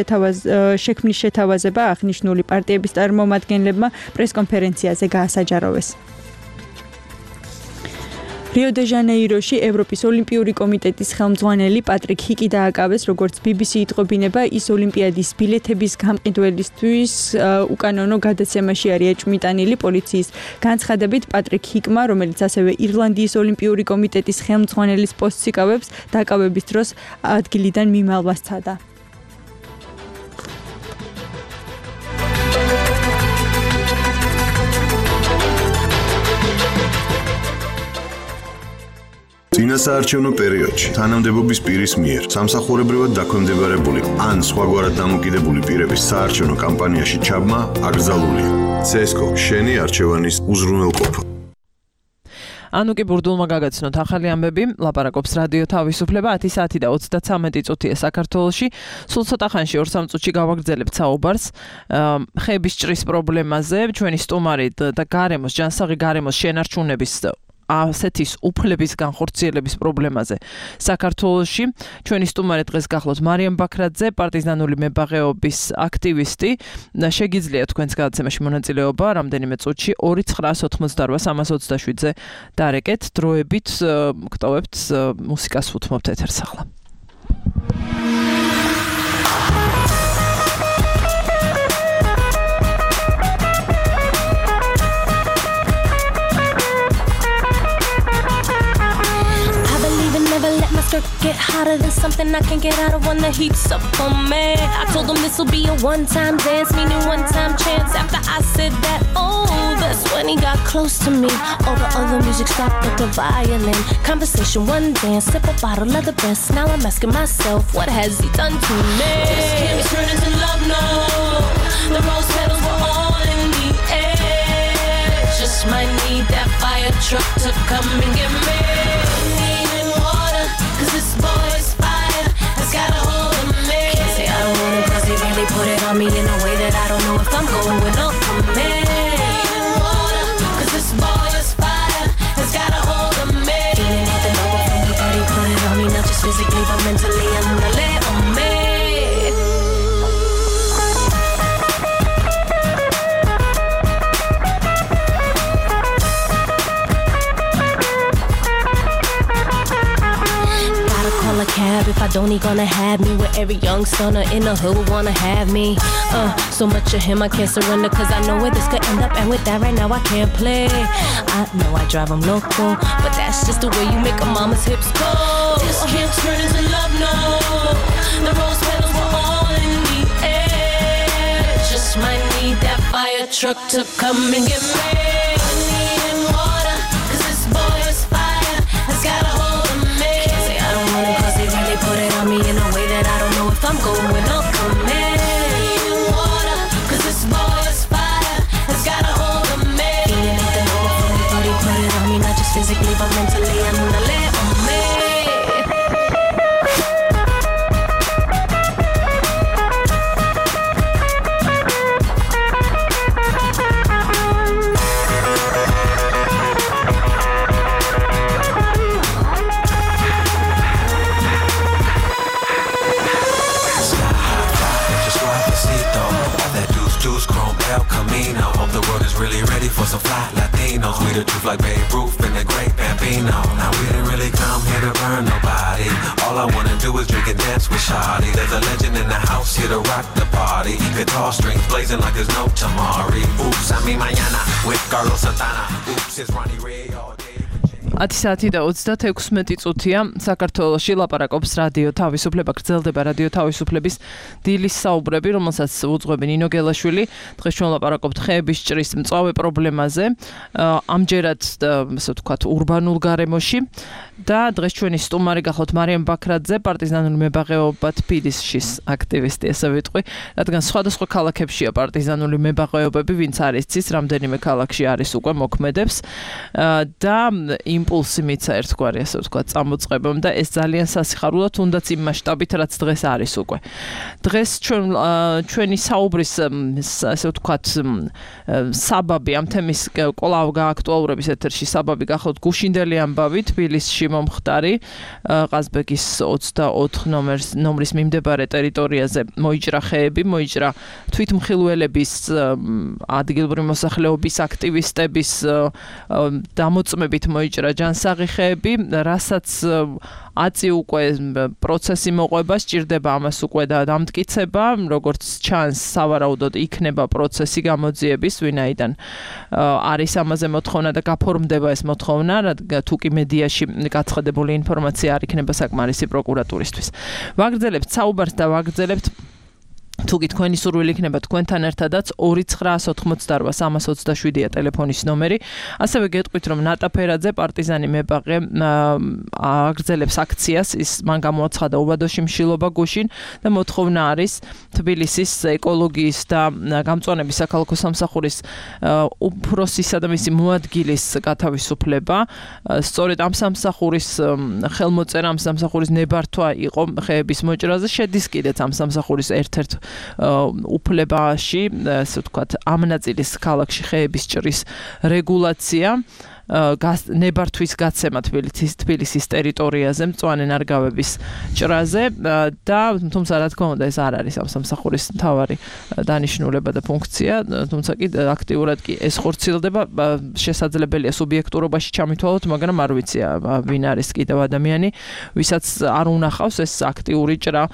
შექმნის შეთავაზება აღნიშნული პარტიების წარმომადგენლებმა პრესკონფერენციაზე გაასაჯაროვეს. რიო-დე-ჟანეიროში ევროპის ოლიმპიური კომიტეტის ხელმძღვანელი პატრიკ ჰიკი დააკავეს, როგორც BBC იტყობინება, ის ოლიმპიადის ბილეთების გამყიდველისთვის უკანონო გადაცემაში არის ეჭვმიტანილი. პოლიციის განცხადებით, პატრიკ ჰიკმა, რომელიც ასევე ირლანდიის ოლიმპიური კომიტეტის ხელმძღვანელის პოსტს იკავებს, დაკავების დროს ადგილიდან მიმალვა სცადა. წინასაარჩევნო პერიოდში თანამდებობის პირის მიერ სამსახურებრივად დაქვემდებარებული ან სხვაგვარად დამოკიდებული პირების საარჩევნო კამპანიაში ჩაბმა აკრძალულია. CSGO შენი არჩევანის უზრუნველყოფა. ანუკი ბურდულმა გაგაცნოთ ახალი ამბები, ლაპარაკობს რადიო თავისუფლება 10 საათი და 33 წუთია საქართველოში. სულ ცოტა ხანში 2-3 წუთში გავაგრძელებთ საუბარს ხეების ჭრის პრობლემაზე, ჩვენი სტუმარი და ჯანსაღი გარემოს შენარჩუნების ასეთის უფლების განხორციელების პრობლემაზე საქართველოში. ჩვენი სტუმარი დღეს გახლავთ მარიამ ბაქრაძე, პარტიზანული მებაღეობის აქტივისტი. შეგიძლიათ თქვენს გადაცემაში მონაწილეობა რამდენიმე წუთში 298-327-ზე დარეკეთ. დროებით გტოვებთ მუსიკას უთმობთ ეთერს ახლა. Get hotter than something I can't get out of when the heat's up on me. I told them this'll be a one-time dance, meaning one-time chance. After I said that, oh, that's when he got close to me. All the other music stopped but the violin. Conversation, one dance, sip a bottle of the best. Now I'm asking myself, what has he done to me? This can't turn into love, no. The rose petals were all in the truck to come and get me. Needing water, cause this boy's fire has got a hold of me. Can't say I don't want it cause he really put it on me in a way that I don't know if I'm going up from me. Needing water, cause this boy's fire has got a hold of me. Feeling like the number from me that he put it on me, not just physically but mentally under lay on me. A cab if I don't, he gonna have me with every young stunner in the hood would wanna have me. So much of him I can't surrender cause I know where this could end up, and with that right now I can't play. I know I drive him loco, but that's just the way you make a mama's hips go. This can't turn into love, no. The rose petals were all in the air. Just might need that fire truck to come and get me. Needing water, cause this boy's fire has got a hold of me. Can't say I don't want it cause they really put it on me in a way that I don't know if I'm going up from me. Needing water, cause this boy's fire has got a hold of me. Feeling like the number from me, but he put it on me, not just physically but mentally and on the lay on me. Hope the world is really ready for some fly Latinos. We the truth like Babe Ruth and the great Bambino. Now we didn't really come here to burn nobody. All I wanna do is drink and dance with Shawty. There's a legend in the house here to rock the party. Guitar strings blazing like there's no tomorrow. Oops, I mean mañana with Carlos Santana. Oops, it's Ronnie Ray all day. 10 საათი და 36 წუთია საქართველოში ლაპარაკობს რადიო თავისუფლება, გრძელდება რადიო თავისუფლების დილის საუბრები, რომელსაც უძღვები ნინო გელაშვილი. დღეს ჩვენ ლაპარაკობთ ხეების ჭრის მწვავე პრობლემაზე, ამჯერად ასე ვთქვათ ურბანულ გარემოში და დღეს ჩვენი სტუმარი გახლავთ მარიამ ბაქრაძე, პარტიზანული მებაღეობა თბილისის აქტივისტი, ასე ვიტყვი, რადგან სხვადასხვა ქალაქებშია პარტიზანული მებაღეობები, ვინც არ იცის, რამდენიმე ქალაქში არის უკვე მოქმედებს და იმპულსი მიცა ერთგვარი, ასე ვთქვათ, წამოწყებამ და ეს ძალიან სასიხარულო, თუნდაც იმ მასშტაბით, რაც დღეს არის უკვე. დღეს ჩვენი საუბრის, ასე ვთქვათ, საბაბი ამ თემის კვლავ გააქტუალურების ეთერში საბაბი გახლავთ გუშინდელი ამბავი თბილისში მომხდარი ყაზბეგის 24 ნომრის მიმდებარე ტერიტორიაზე მოიჭრა ხეები, მოიჭრა თვითმხილველების, ადგილობრივი მოსახლეობის აქტივისტების დამოწმებით მოიჭრა ჯანსაღი ხეები, რასაც აწი უკვე პროცესი მოყვება, სჭირდება ამას უკვე და დამტკიცება, როგორც ჩანს, სავარაუდოდ იქნება პროცესი გამოძიების, ვინაიდან არის ამაზე მოთხოვნა და გაფორმდება ეს მოთხოვნა, თუ კი მედიაში გაცხადებული ინფორმაცია არ იქნება საკმარისი პროკურატურისთვის. ვაგრძელებთ საუბარს და ვაგრძელებთ თუ კი თქვენი სურვილი იქნება თქვენთან ერთადაც 2988327-ია ტელეფონის ნომერი. ასევე გეტყვით, რომ ნატა ფერაძე, პარტიზანი მებაღე, აგრძელებს აქციას, ის მან გამოაცხადა უბადოში მშილობა გუშინ და მოთხოვნა არის თბილისის ეკოლოგიის და გამწვანების საქალაქო სამსახურის უფროსისა და მისი მოადგილის გათავისუფლება. სწორედ ამ სამსახურის ხელმოწერა, ამ სამსახურის ნებართვა იყო ხეების მოჭრაზე, შედის კიდეც ამ სამსახურის ერთ-ერთ უფლებაში, ასე ვთქვათ, ამ ნაწილის ქალაქში ხეების ჭრის რეგულაცია, ნებართვის გაცემა თბილისის ტერიტორიაზე, მწვანე ნარგავების ჭრაზე და თუმცა რა თქმა უნდა ეს არ არის ამ სამსახურის მთავარი დანიშნულება და ფუნქცია, თუმცა კი აქტიურად კი ეს ხორციელდება, შესაძლებელია სუბიექტურობაში ჩამითვალოთ, მაგრამ არ ვიცი ვინ არის კიდევ ადამიანი, ვისაც არ უნახავს ეს აქტიური ჭრა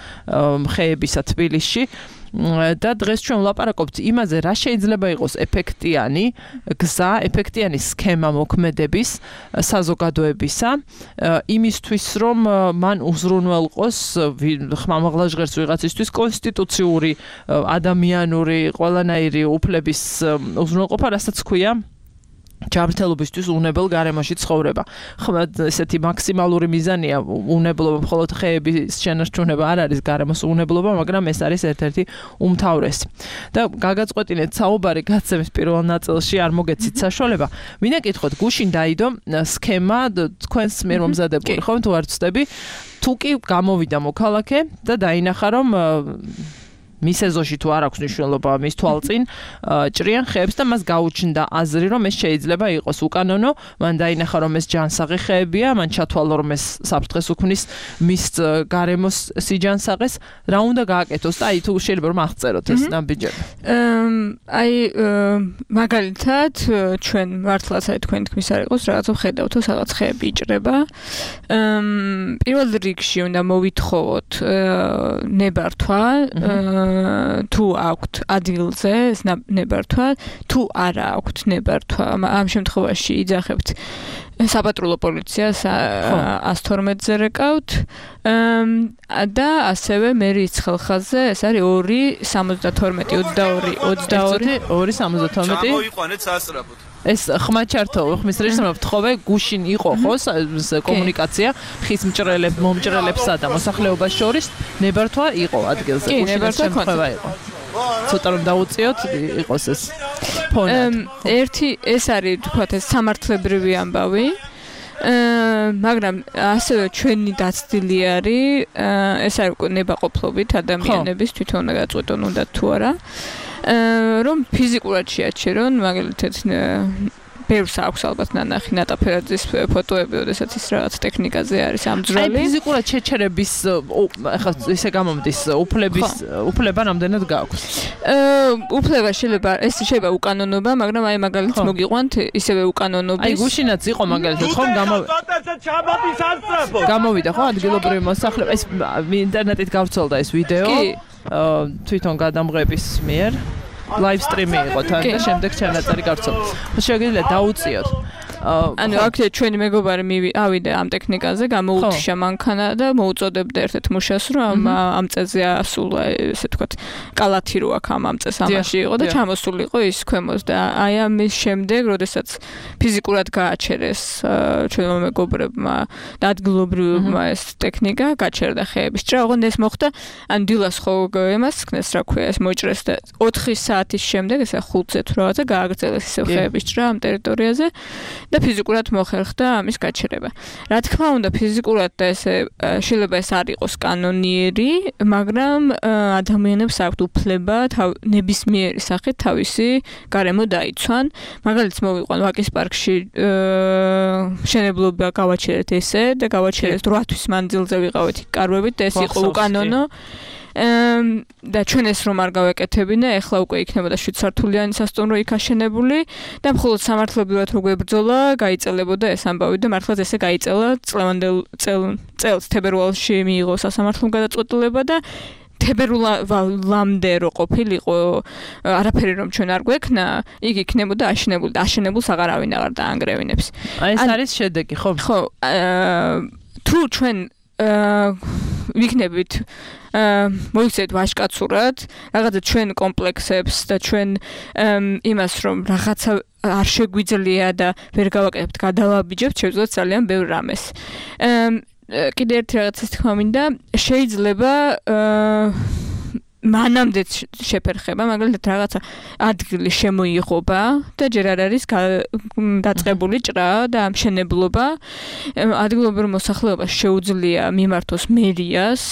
ხეებისა თბილისში. და დღეს ჩვენ ვლაპარაკობთ იმაზე, რა შეიძლება იყოს ეფექტიანი გზა, ეფექტიანი სქემა მოქმედების საზოგადოებისა, იმისთვის რომ მან უზრუნველყოს ხმამაღლა ჟღერს ვიღაცისთვის კონსტიტუციური, ადამიანური, ყველანაირი უფლების უზრუნველყოფა, რასაც ქვია ჯანმრთელობისთვის უნებელ გარემოში ცხოვრება. ხმა ესეთი მაქსიმალური მიზანია უნებლობა, მხოლოდ ხეების შენარჩუნება არ არის გარემოს უნებლობა, მაგრამ ეს არის ერთ-ერთი უმთავრესი. და გაგაწყვეტინეთ საუბარი გაცემის პირველ ნაწილში არ მოგეცით საშუალება. მინდა კითხოთ, გუშინ დაიდო სქემა თქვენს მიერ მომზადებული, ხომ თუ არ ვცდები, თუ კი გამოვიდა მოქალაქე და დაინახა რომ მის ეზოში თუ არ აქვს მნიშვნელობა მის თვალწინ ჭრიან ხეებს და მას გაუჩნდა აზრი რომ ეს შეიძლება იყოს უკანონო, მან დაინახა რომ ეს ჯანსაღი ხეებია, მან ჩათვალა რომ ეს საფრთხეს უქმნის მის გარემოს სიჯანსაღეს, რა უნდა გააკეთოს და აი თუ შეიძლება რომ აღწეროთ ეს ნაბიჯები. აი მაგალითად ჩვენ მართლაც აი თქვენ თქმის არ იყოს რაღაცა ხედავთ თუ სადღაც ხეები იჭრება. პირველ რიგში უნდა მოვითხოვოთ ნებართვა თუ აქვთ ადგილზე ეს ნებართვა, თუ არა აქვთ ნებართვა, ამ შემთხვევაში იძახებთ საპატრულო პოლიციას 112-ზე რეკავთ და ასევე მერის ხელხაზზე ეს არის 2-72-22 გამოიყვანეთ სასწრაფოდ. ეს ხმაჩართო ხმის რეჟიმով თხოვე გუშინ იყო ხო კომუნიკაცია ხის მომჭრელებსა და მოსახლეობას შორის ნებართვა იყო ადგილზე გუშინ შემთხვევა იყო ცოტა რომ დაუწიოთ იყოს ეს ფონად ერთი ეს არის თქვათ ეს სამართლებრივი ამბავი მაგრამ ასევე ჩვენი დაცდილი არის ეს არის ნებაყოფლობით ადამიანების თვითონ უნდა გაწყვეტონ უნდა თუ არა რომ ფიზიკურად შეაჩერონ მაგალითად ბევრს აქვს ალბათ ნანახი ნატაფერაძის ფოტოები, როდესაც ის რაღაც ტექნიკაზე არის ამძვრალი. აი ფიზიკურად შეჩერების ახლა ესე გამომდის უფლება რამდენად გააქვს? უფლება შეიძლება უკანონობა, მაგრამ აი მაგალითად მოგიყვანთ ისევე უკანონობის. აი გუშინაც იყო მაგალითად ხომ გამოვიდა ხო ადგილობრივი მოსახლეობა ეს ინტერნეტით გავრცელდა ეს ვიდეო თვითონ გადამღების მიერ live stream-ი იყო თან და შემდეგ ჩანაწერი გავრცელდა. შეგიძლიათ დაუწიოთ. ანუ აქ ჩვენი მეგობარი ავიდა ამ ტექნიკაზე, გამოუთიშა მანქანა და მოუწოდებდა ერთ-ერთ მუშას, რომ ამ წეზე ასულა, ესე ვთქვათ, კალათი რო აქ ამ წეს ამაში იყო და ჩამოსულიყო ის ქვემოს და აი ამის შემდეგ, როდესაც ფიზიკურად გააჩერეს ჩვენმა მეგობრებმა და ადგილობრივებმა ეს ტექნიკა გაჩერდა ხეების ჭრა, ოღონდ ეს მოხდა ან დილას ხო იმას ხნეს რა ქვია, ეს მოიჭრეს და 4 საათის შემდეგ, ესე 5-ზე თუ რაღაცა გააგრძელეს ისე ხეების ჭრა ამ ტერიტორიაზე. და ფიზიკურად მოხერხდა ამის გაჩერება. რა თქმა უნდა, ფიზიკურად და ესე შეიძლება ეს არ იყოს კანონიერი, მაგრამ ადამიანებს აქვთ უფლება ნებისმიერი სახით თავისი გარემო დაიცვან. მაგალითად მოვიყვან ვაკის პარკში მშენებლობა გავაჩერეთ ესე და გავაჩერეთ 8 თვის მანძილზე ვიყავით კარვებით და ეს იყო უკანონო. და ჩვენ ეს რომ არ გავეკეთებინა, ეხლა უკვე იქნებოდა 7 სართულიანი სასტუმრო იქ აშენებული და მხოლოდ სამართლებრივად რო გვებრძოლა, გაიწელებოდა ეს ამბავი და მართლაც ესე გაიწელა წელს თებერვალში მიიღო სასამართლომ გადაწყვეტილება და თებერვალამდე რო ყოფილიყო არაფერი რომ ჩვენ არ გვექნა, იგი იქნებოდა აშენებული და აშენებულს აღარავინ აღარ დაანგრევინებს. აი ეს არის შედეგი, ხო? ხო, თუ ჩვენ ვიქნებით მოიქცეთ ვაჟკაცურად რაღაცა ჩვენ კომპლექსებს და ჩვენ იმას რომ რაღაცა არ შეგვიძლია და ვერ გავაკეთებთ გადავაბიჯებთ შეგვიძლია ძალიან ბევრ რამეს კიდე ერთი რაღაცის თქმა მინდა შეიძლება მანამდე შეფერხება, მაგალითად რაღაცა ადგილი შემოიღობა და ჯერ არ არის დაწყებული ჭრა და ამშენებლობა. ადგილობრივ მოსახლეობას შეუძლია მიმართოს მერიას,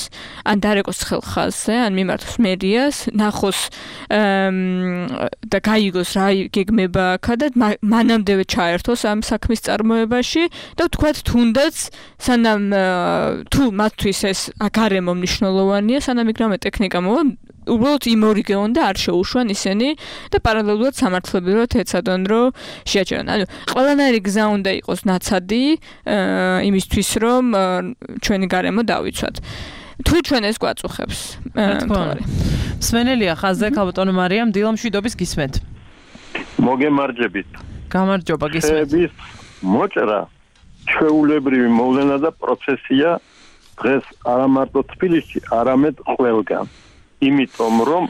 ან დარეკოს ხელხაზზე, ან მიმართოს მერიას, ნახოს და გაიგოს რა გეგმება აქა და მანამდე ჩაერთოს ამ საქმის წარმოებაში და ვთქვათ თუნდაც სანამ თუ მათთვის ეს გარემო მნიშვნელოვანია, სანამ იქ რამე ტექნიკა მოვა უბრალოდ იმორიგეონ და არ შეუშვან ისინი და პარალელურად სამართლებრივად ეცადონ რომ შეაჩერონ. ანუ ყველანაირი გზა უნდა იყოს ნაცადი იმისთვის რომ ჩვენი გარემო დავიცვათ. თუ ჩვენ ეს გვაწუხებს. სვენელია ხაზზე ქალბატონო მარიამ დილამშვიდობის გისმენთ. მოგემარჯებით. გამარჯობა გისმენთ. მოჭრა ჩვეულებრივი მოვლენა და პროცესია დღეს არა მარტო თბილისში, არამედ ყველგან. იმიტომ რომ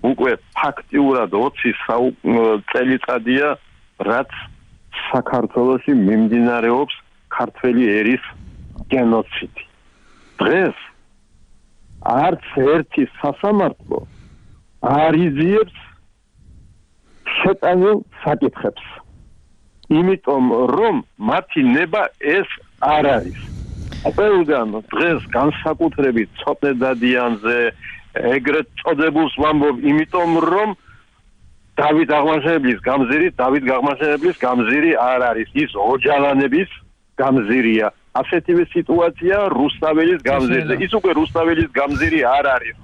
უკვე ფაქტიურად 20 წელიწადია რაც საქართველოში მიმდინარეობს ქართველი ერის გენოციდი. დღეს არც ერთი სასამართლო არ იძიებს შეტანილ საკითხებს. იმიტომ რომ მათი ნება ეს არ არის. ყველგან დღეს განსაკუთრებით ცოტნე დადიანზე ეგრეთ წოდებულს ვამბობ, იმიტომ რომ დავით აღმაშენებლის გამზირი არ არის. ის ოჯალანების გამზირია. ასეთივე სიტუაცია რუსთაველის გამზირზე. ის უკვე რუსთაველის გამზირი არ არის.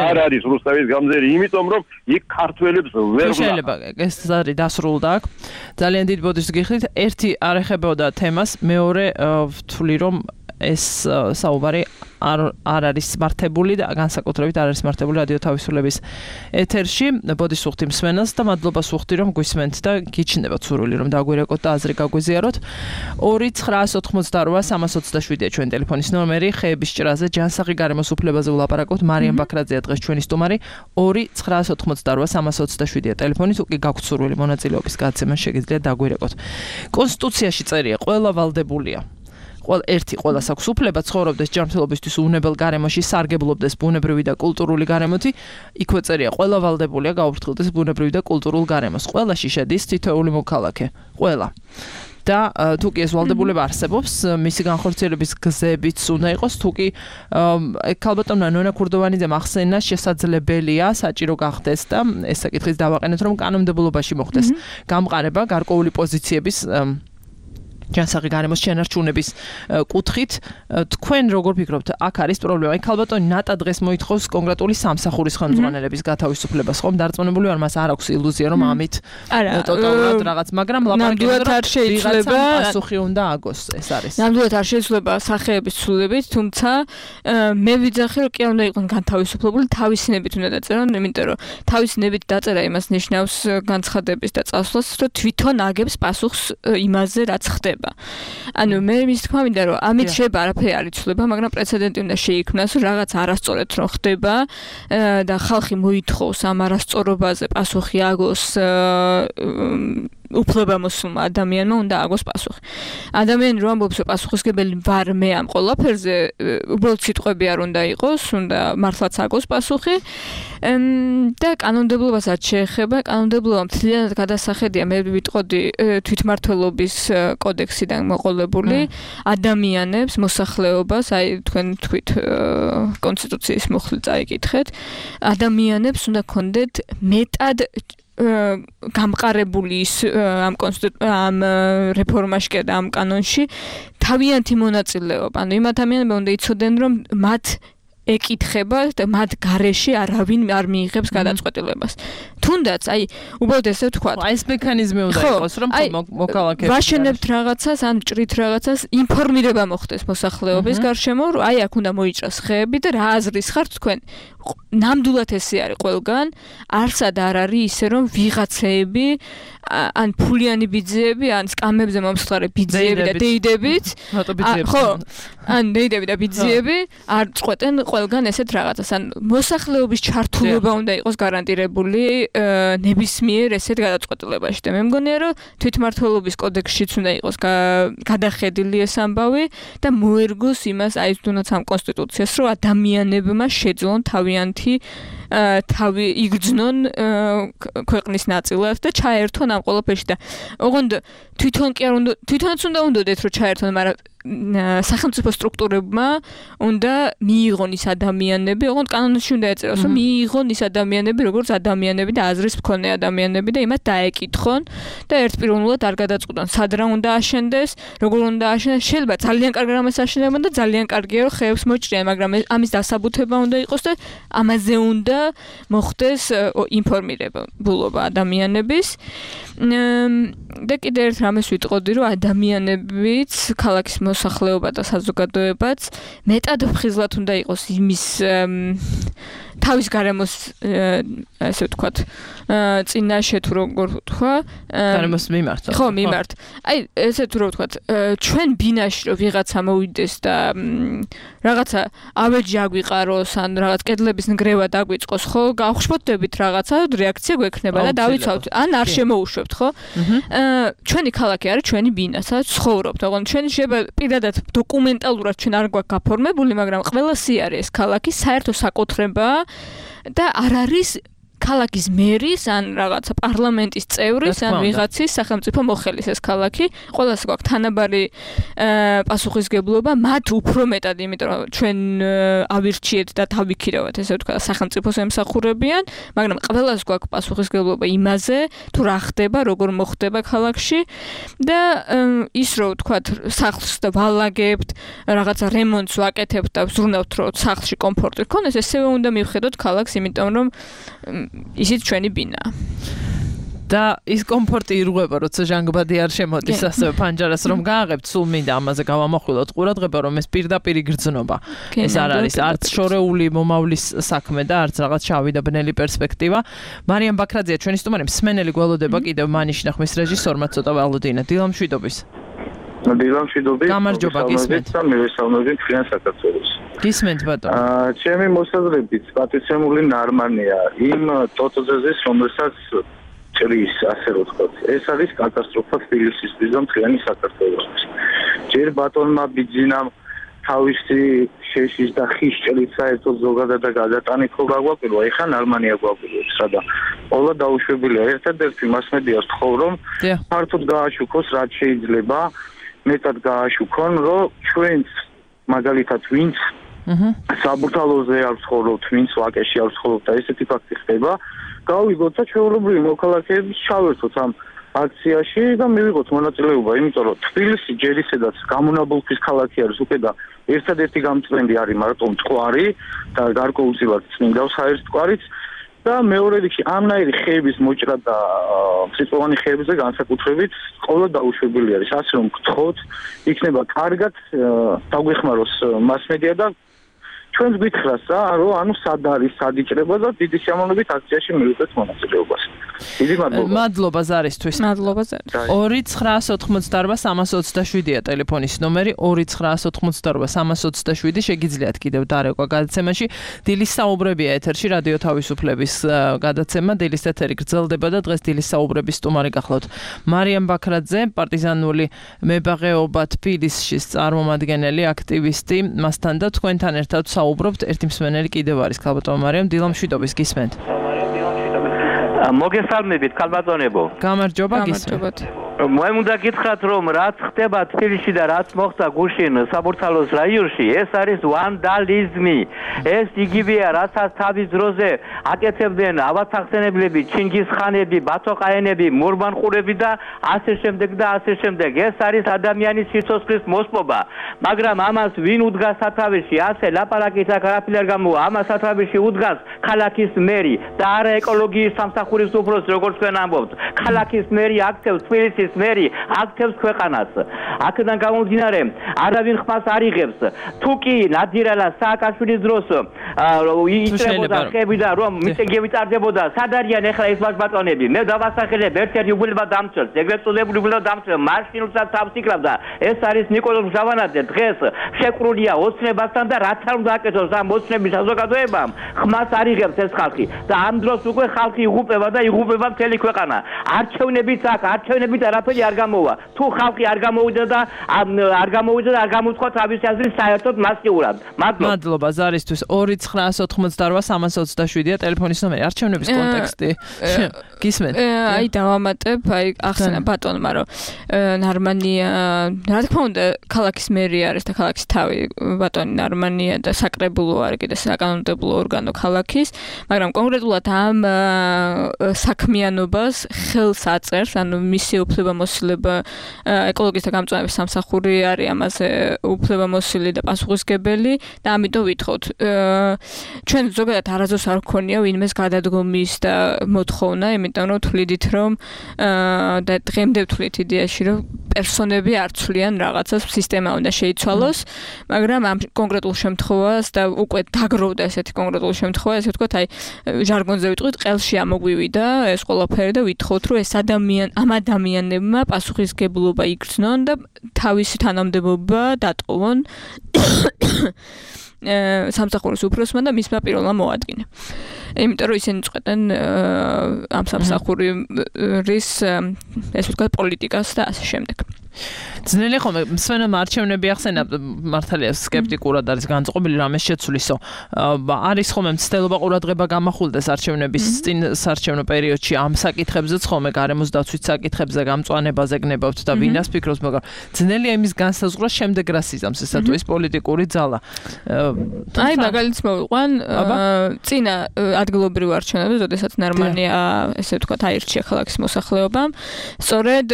არ არის რუსთაველის გამზირი, იმიტომ რომ იქ ქართველებს ვერ შეიძლება ეს ზარი დასრულდა აქ. ძალიან დიდ ბოდიშს გიხდით. ერთი არ ეხებოდა თემას, მეორე ვთვლი რომ ეს საუბარი არ არის მართებული და განსაკუთრებით არ არის მართებული რადიო თავისუფლების ეთერში. ბოდიშს ვუხდი მსმენელს და მადლობას ვუხდი რომ გვისმენთ და გიჩნდებათ სურვილი რომ დაგვირეკოთ და აზრი გაგვიზიაროთ. 2988327-ია ჩვენი ტელეფონის ნომერი. ხეების ჭრაზე ჯანსაღი გარემოს უფლებაზე ვლაპარაკობთ. მარიამ ბაქრაძეა დღეს ჩვენი სტუმარი. 2988327-ია ტელეფონი. თუ კი გაგვთ სურვილი მონაწილეობის გაცემას შეგიძლიათ დაგვირეკოთ. კონსტიტუციაში წერია ყველა ვალდებულია. ყველას აქვს უფლება ცხოვრობდეს ჯანმრთელობისთვის უვნებელ გარემოში, სარგებლობდეს ბუნებრივი და კულტურული გარემოთი. იქვე წერია ყველა ვალდებულია გაუფრთხილდეს ბუნებრივი და კულტურულ გარემოს. ყველაში შედის თითოეული მოქალაქე. ყველა. და თუ კი ეს ვალდებულება არსებობს, მისი განხორციელების გზებიც უნდა იყოს, თუ კი ქალბატონმა ნონა ქურდოვანიძემ ახსენა, შესაძლებელია საჭირო გახდეს და ეს საკითხიც დავაყენეთ, რომ კანონმდებლობაში მოხდეს გამყარება გარკვეული პოზიციების ჯანსაღი გარემოს შენარჩუნების კუთხით. თქვენ როგორ ფიქრობთ, აქ არის პრობლემა? აი ქალბატონი ნატა დღეს მოითხოვს კონკრეტული სამსახურის ხელმძღვანელების გათავისუფლებას, ხომ? დარწმუნებული ვარ, მას არ აქვს ილუზია, რომ ამით ტოტალურად რაღაც, მაგრამ ნამდვილად არ შეიძლება პასუხი უნდა აგოს, ეს არის. ნამდვილად არ შეიძლება სახეების ცვლილებით, თუმცა მე ვიძახი, რომ კი არ უნდა იყოს განთავისუფლებული, თავისინებით უნდა დაწერონ, იმიტომ რომ თავისინებით დაწერა იმას ნიშნავს განცხადების და წასვლას, რომ თვითონ აგებს პასუხს იმაზე, რაც ხდება. ანუ მე მის თქმა მინდა რომ ამით შეიძლება არაფერი არ იცვლება, მაგრამ პრეცედენტი უნდა შეიქმნას, რომ რაღაც არასწორად რომ ხდება და ხალხი მოითხოვს ამ არასწორობაზე პასუხი აგოს უფლებამოსულმა ადამიანმა უნდა აგოს პასუხი. ადამიანი რომ ამბობს, რომ პასუხისგებელი ვარ მე ამ ყველაფერზე, უბრალოდ სიტყვები არ უნდა იყოს, უნდა მართლაც აგოს პასუხი. და კანონმდებლობასაც შეეხება, კანონმდებლობა მთლიანად გადასახედია, მე ვიტყოდი თვითმმართველობის კოდექსიდან მოყოლებული ადამიანებს, მოსახლეობას, აი თქვენ თქვით კონსტიტუციის მუხლი წაიკითხეთ, ადამიანებს უნდა ქონდეთ მეტად გამყარებული ამ რეფორმაში და ამ კანონში თავიანთი მონაწილეობა. ანუ იმ ადამიანებმა უნდა იცოდნენ, რომ მათ ეკითხება და მათ გარეშე არავინ არ მიიღებს გადაწყვეტილებას. თუნდაც, აი, უბრალოდ ესე ვთქვათ, აი ეს მექანიზმი უნდა იყოს, რომ მოქალაქეებს ვაშენებთ რაღაცას, ან ჭრით რაღაცას, ინფორმირება მოხდეს მოსახლეობის გარშემო, რომ აი აქ უნდა მოიჭრას ხეები და რა აზრის ხართ თქვენ? ნამდვილად ესე არის ყველგან, არსად არ არის ისე რომ ვიღაცეები ან ფულიანი ბიძეები, ან სკამებზე მომსხარე ბიძეები და დეიდებით, ხო, ან დეიდები და ბიძეები არ წყვეტენ ყველგან ესეთ რაღაცას. ან მოსახლეობის ჩართულობა უნდა იყოს გარანტირებული ნებისმიერ ესეთ გადაწყვეტილებაში. და მე მგონია, რომ თვითმმართველობის კოდექსშიც უნდა იყოს გადახედილი ეს ამბავი და მოერგოს იმას, აი თუნდაც ამ კონსტიტუციას, რომ ადამიანებმა შეძლონ თავი იგრძნონ ქვეყნის ნაწილად და ჩაერთონ ამ ყველაფერში და ოღონდ თვითონ კი არ უნდა თვითონაც უნდა უნდათ რომ ჩაერთონ, მაგრამ სახელმწიფო სტრუქტურებმა უნდა მიიღონ ის ადამიანები, ოღონდ კანონში უნდა ეწეროს, რომ მიიღონ ის ადამიანები, როგორც ადამიანები და აზრის მქონე ადამიანები და იმათ დაეკითხონ და ერთპიროვნულად არ გადაწყვიტონ, სად რა უნდა აშენდეს, როგორ უნდა აშენდეს. შეიძლება ძალიან კარგი რამეს აშენებენ და ძალიან კარგია რომ ხეებს მოჭრიან, მაგრამ ამის დასაბუთება უნდა იყოს და ამაზე უნდა მოხდეს ინფორმირებულობა ადამიანების. და კიდევ ერთ რამეს ვიტყოდი, რომ ადამიანებიც, ქალაქის მოსახლეობა და საზოგადოებაც მეტად ფხიზლად უნდა იყოს იმის თავის გარემოს, ასე ვთქვათ, წინაშე თუ როგორ ვთქვა, გარემოს მიმართ. ხო, მიმართ. აი, ესე თუ რო ვთქვათ, ჩვენ ბინაში რო ვიღაცა მოვიდეს და რაღაცა ავეჯი აგვიყაროს, ან რაღაც კედლების ნგრევა დაგვიწყოს, ხო, გავხშფოთდებით რაღაცა რეაქცია გვექნება და დავიცავთ, ან არ შემოუშვებთ, ხო? ჩვენი ქალაქი არის ჩვენი ბინა, სადაც ცხოვრობთ. ოღონდ ჩვენი შეიძლება პირადად დოკუმენტალურად ჩვენ არ გვაქვს გაფორმებული, მაგრამ ყველა სიარე ეს ქალაქი საერთო საკუთრებაა და არ არის ქალაქის მერის ან რაღაცა პარლამენტის წევრის ან ვიღაცის სახელმწიფო მოხელის ეს ქალაქი ყველას გვაქვს თანაბარი პასუხისგებლობა მათ უფრო მეტად იმიტომ რომ ჩვენ ავირჩიეთ და დავიქირავთ ესე ვთქვა სახელმწიფოს ემსახურებიან მაგრამ ყველას გვაქვს პასუხისგებლობა იმაზე თუ რა ხდება როგორ მოხდება ქალაქში და ის რო ვთქვა სახლს და ვალაგებთ რაღაცა რემონტს ვაკეთებთ და ვზრუნავთ რომ სახლში კომფორტი გქონდეს ესევე უნდა მივხედოთ ქალაქს იმიტომ რომ ისიც ჩვენი ბინაა. და ის კომფორტი ირღვება, როცა ჟანგბადი არ შემოდის ასევე ფანჯარას რომ გააღებთ, სულ მინდა ამაზე გავამახვილოთ ყურადღება, რომ ეს პირდაპირ იგრძნობა. ეს არ არის არც შორეული მომავლის საქმე და არც რაღაც შავი და ბნელი პერსპექტივა. მარიამ ბაქრაძეა ჩვენი სტუმარი, მსმენელი გველოდება კიდევ მანიშნა ხმის რეჟისორმა ცოტა ვალოდინა. დილამშვიდობის. დილამშვიდობის. გამარჯობა, გისმენთ. მივესალმებით თქვენ საქართველოს. გისმენთ ბატონო. ჩემი მოსაზრებით პატიცემული ნარმანია იმ ტოტოზეზეს, რომელსაც ჭრის, ასე რომ ვთქვათ. ეს არის კატასტროფა თბილისისთვის და მთლიანი საქართველოსთვის. ჯერ ბატონმა ბიძინამ თავისი შეშის და ხის ჭრით საერთოდ ზოგადად და გადატანით ხო გაგვაკვირვა, ეხლა ნარმანია გვაკვირვებს, სადა ყველა დაუშვებელია. ერთადერთი მასმედიას ვთხოვ, რომ ფართოდ გააშუქოს, რაც შეიძლება, მეტად გააშუქონ, რომ ჩვენც მაგალითად ვინც საბურთალოზე არ ვცხოვრობთ, ვინც ვაკეში არ ვცხოვრობთ და ესეთი ფაქტი ხდება, გავიგოთ და ჩვეულებრივი მოქალაქეები ჩავერთოთ ამ აქციაში და მივიღოთ მონაწილეობა, იმიტომ რომ თბილისი ჯერ ისედაც გამონაბოლქვის ქალაქი არის უკვე და ერთადერთი გამწვენდი არის მარტო მტკვარი და გარკვეულწილად წმინდა საერთმკვარიც და მეორე რიგში ამნაირი ხეების მოჭრა და მწიწოვანი ხეებზე განსაკუთრებით ყოველ დაუშვებელი არის. ასე რომ გთხოვთ, იქნება კარგად დაგვეხმაროს მასმედია და ჩვენს გითხრას რა, რომ ანუ სად არის, სად იჭრება და დიდი სიამოვნებით აქციაში მივიღეთ მონაწილეობას. დიდი მადლობა. მადლობა ზარისთვის. მადლობა ზარის. 2988327-ია ტელეფონის ნომერი 2988327 შეგიძლიათ კიდევ დარეკვა გადაცემაში. დილის საუბრებია ეთერში რადიო თავისუფლების გადაცემა. დილის ეთერი გრძელდება და დღეს დილის საუბრების სტუმარი გახლავთ მარიამ ბაქრაძე, პარტიზანული მებაღეობა თბილისში წარმომადგენელი, აქტივისტი. მასთან და თქვენთან ერთად საუბრობთ. ერთი მსმენელი კიდევ არის ქალბატონო მარიამ, დილამშვიდობის გისმენთ. მოგესალმებით ქალბატონებო. გამარჯობა გისმენთ. მე უნდა გითხრათ რომ რაც ხდება თბილისში და რაც მოხდა გუშინ საბურთალოს რაიონში ეს არის ვანდალიზმი. ეს იგივეა რასაც თავის დროზე აკეთებდნენ ავათახსენებლები, ჩინგისხანები, ბათოყაენები, მურმანყურები და ასე შემდეგ და ასე შემდეგ. ეს არის ადამიანის სიცოცხლის მოსპობა. მაგრამ ამას ვინ უდგას სათავეში? ასე ლაპარაკით აქ არაფერი არ გამოვა. ამას სათავეში უდგას ქალაქის მერი და არა ეკოლოგიის სამსახურის უფროსი, როგორც თქვენ ამბობთ. ქალაქის მერი აქცევს თბილისის მერი აქცევს ქვეყანას. აქედან გამომდინარე, არავინ ხმას არ იღებს. თუ კი ნადირალა სააკაშვილის დროს იჭრებოდა ხები და რომ მიტინგები ტარდებოდა, სად არიან ეხლა ეს ბატონები? მე დავასახელებ ერთ-ერთ უგულება დამცველს, ეგრეთ წოდებული უგულება დამცველს, მარშინულსაც თავს იკრავდა. ეს არის ნიკოლოზ მჟავანაძე. დღეს შეკრულია ოცნებასთან და რაც არ უნდა აკეთოს ამ ოცნების საზოგადოებამ, ხმას არ იღებს ეს ხალხი და ამ დროს უკვე ხალხი იღუპება და იღუპება მთელი ქვეყანა. არჩევნებიც აქ, არჩევნებით არაფერი არ გამოვა. თუ ხალხი არ გამოვიდა და არ გამოუცხო თავისი აზრი საერთოდ მასიურად. მადლობა ზარისთვის. 2988327-ია ტელეფონის ნომერი. არჩევნების კონტექსტი. გისმენთ? აი დავამატებ, აი ახსენა ბატონმა, რომ ნარმანია, რა თქმა უნდა, ქალაქის მერი არის და ქალაქის თავი ბატონი ნარმანია და საკრებულო არის კიდე საკანონმდებლო ორგანო ქალაქის, მაგრამ კონკრეტულად ამ საქმიანობას ხელს აწერს, ანუ მისი უფლებამოსილება ეკოლოგისტთა გამწვანების სამსახური არის ამაზე უფლებამოსილი და პასუხისმგებელი და ამიტომ ვითხოვთ. ჩვენ ზოგადად არასდროს არ გქონია ვინმეს გადადგომის და მოთხოვნა, იმიტომ რომ თვლიდით რომ და დღემდე ვთვლით იდეაში რომ პერსონები არ ცვლიან რაღაცას, სისტემა უნდა შეიცვალოს, მაგრამ ამ კონკრეტულ შემთხვევას და უკვე დაგროვდა ესეთი კონკრეტული შემთხვევა, ესე ვთქვათ, აი ჟარგონზე ვიტყვით, ყელში ამოგვივიდა ეს ყველაფერი და ვითხოვთ, რომ ეს ამ ადამიანებმა პასუხისგებლობა იგრძნონ და თავისი თანამდებობა დატოვონ სამსახურის უფროსმა და მისმა პირველმა მოადგინა. იმიტომ რომ ისინი წყვეტენ ამ სამსახურის ესე ვთქვათ პოლიტიკას და ასე შემდეგ. ძნელი ხომ მსვენელმა არჩევნები ახსენა მართალია სკეპტიკურად არის განწყობილი რამეს შეცვლისო. არის ხომ მცდელობა ყურადღება გამახვილდეს არჩევნების წინ საარჩევნო პერიოდში ამ საკითხებზეც ხომ გარემოს დაცვის საკითხებზე გამწვანებაზე გნებავთ და ვინას ფიქრობს, მაგრამ ძნელია იმის განსაზღვრა შემდეგ რას იზამს ესა თუ ის პოლიტიკური ძალა. აი მაგალითს მოვიყვან წინა ადგილობრივ არჩევნებზე, როდესაც ნორმალია ესე ვთქვათ აირჩია ქალაქის მოსახლეობამ, სწორედ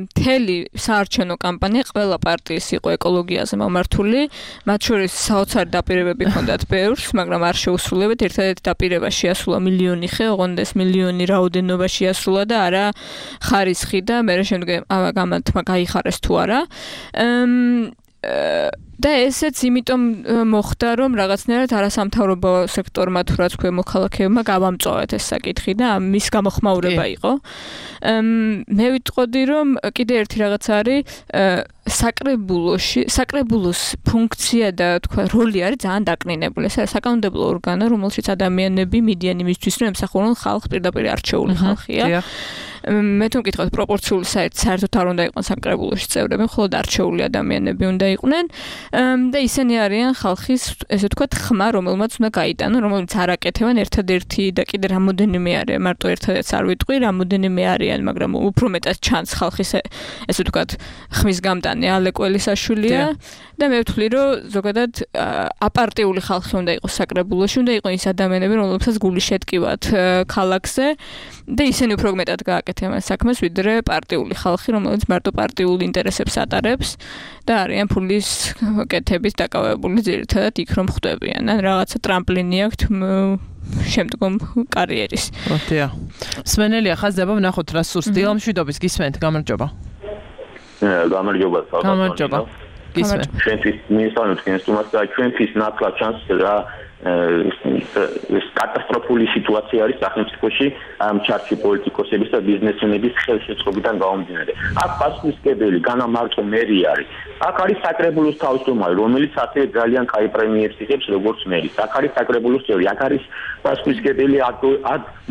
მთელი საარჩევნო კამპანია ყველა პარტიის იყო ეკოლოგიაზე მომართული, მათ შორის საოცარი დაპირებები ჰქონდათ ბევრს, მაგრამ არ შეუსრულებთ. ერთადერთი დაპირება შეასრულა მილიონი ხე, ოღონდ ეს მილიონი რაოდენობა შეასრულა და არა ხარისხი და მე შემდგომ გამათმა გაიხარეს თუ არა. და ესეც იმიტომ მოხდა, რომ რაღაცნაირად არასამთავრობო სექტორმა თუ რაც ქვია მოქალაქეებმა გავამწვავეთ ეს საკითხი და მის გამოხმაურება იყო. მე ვიტყოდი, რომ კიდე ერთი რაღაც არის საკრებულოს ფუნქცია და თქვა როლი არის ძალიან დაკნინებული. ეს არის საკანონმდებლო ორგანო, რომელშიც ადამიანები მიდიან იმისთვის, რომ ემსახურონ ხალხს, პირდაპირ არჩეული ხალხია. მე თუ მკითხავთ პროპორციული საერთოდ არ უნდა იყვნენ საკრებულოში წევრები, მხოლოდ არჩეული ადამიანები უნდა იყვნენ და ისინი არიან ხალხის, ესე ვთქვათ, ხმა, რომელმაც უნდა გაიტანონ, რომელიც არ აკეთებენ ერთადერთი და კიდე რამოდენიმე არის, მარტო ერთადერთს არ ვიტყვი, რამოდენიმე არიან, მაგრამ უფრო მეტად ჩანს ხალხის ესე ვთქვათ, ხმის გამტანი ალე კველისაშვილია და მე ვთვლი, რომ ზოგადად აპარტიული ხალხი უნდა იყოს საკრებულოში, უნდა იყვნენ ის ადამიანები, რომლებსაც გული შეტკივათ ქალაქზე და ისინი უფრო მეტად გააკეთებენ საქმეს, ვიდრე პარტიული ხალხი, რომელიც მარტო პარტიულ ინტერესებს ატარებს და არიან ფულის კეთების დაკავებული ძირითადად იქ რომ ხვდებიან. ან რაღაცა ტრამპლინი აქვთ შემდგომ კარიერის. ოდია. მსმენელია ხაზდება, ვნახოთ რა სურს დილამშვიდობის გისმენთ, გამარჯობა. გამარჯობა. გამარჯობა. გისმენთ. ჩვენთვის მინისტრალურ კენსტუმას და ჩვენთვის ნათლად ჩანს რა ეს კატასტროფული სიტუაცია არის სახელმწიფოში ამ ჩარჩი პოლიტიკოსების და ბიზნესმენების ხელშეწყობიდან გამომდინარე. აქ პასუხისმგებელი განამარტო მერი არის. აქ არის საკრებულოს თავმჯდომარე, რომელიც ასევე ძალიან კაი პრემიებს იღებს როგორც მერი. აქ არის საკრებულოს წევრი, აქ არის პასუხისმგებელი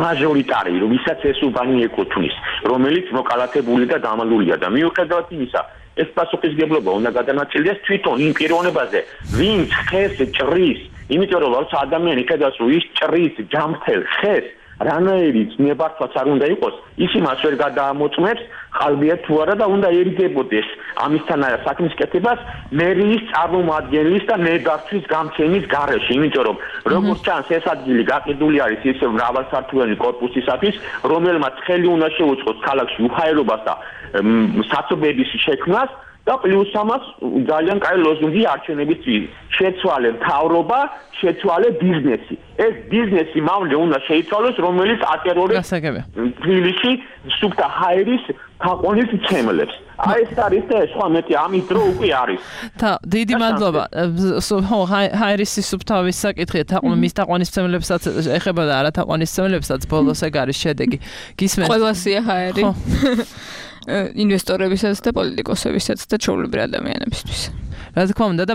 მაჟორიტარი, ვისაც ეს უბანი ეკუთვნის, რომელიც მოკალათებული და დამალულია და მიუხედავად იმისა, ეს პასუხისმგებლობა უნდა გადანაწილდეს თვითონ იმ პიროვნებაზე, ვინც ხეს ჭრის, იმიტომ რომ როცა ადამიანი ხედავს, რომ ის ჭრის ჯამთელ ხეს, რანაირი ნებართვაც არ უნდა იყოს, ის იმას ვერ გადაამოწმებს, ხალბია თუ არა და უნდა ერიგებოდეს ამისთანავე საქმის კეთებას მერიის წარმომადგენლის და ნებართვის გამცემის გარეშე, იმიტომ რომ როგორც ჩანს ეს ადგილი გაყიდული არის ისე მრავალსართულიანი კორპუსისათვის, რომელმაც ხელი უნდა შეუწყოს ქალაქში უხაერობას და საცობების შექმნას და პლუს ამას ძალიან კაი ლოზუნგი არჩევნების წინ შეცვალე მთავრობა, შეცვალე ბიზნესი. ეს ბიზნესი მამლე უნდა შეიცვალოს, რომელიც ატერორებს თბილისში სუფთა ჰაერის თაყვანის ცემლებს. აი ეს არის და სხვა მეტი ამის დრო უკვე არის. დიდი მადლობა. ჰაერის სუფთავის საკითხი მის თაყვანის ცემლებსაც ეხება და არა თაყვანის ცემლებსაც ბოლოს ეგ არის შედეგი. გისმენთ. ყველასია ჰაერი. ინვესტორებისაც და პოლიტიკოსებისაც და ჩვეულებრივ ადამიანებისთვის. რა თქმა უნდა და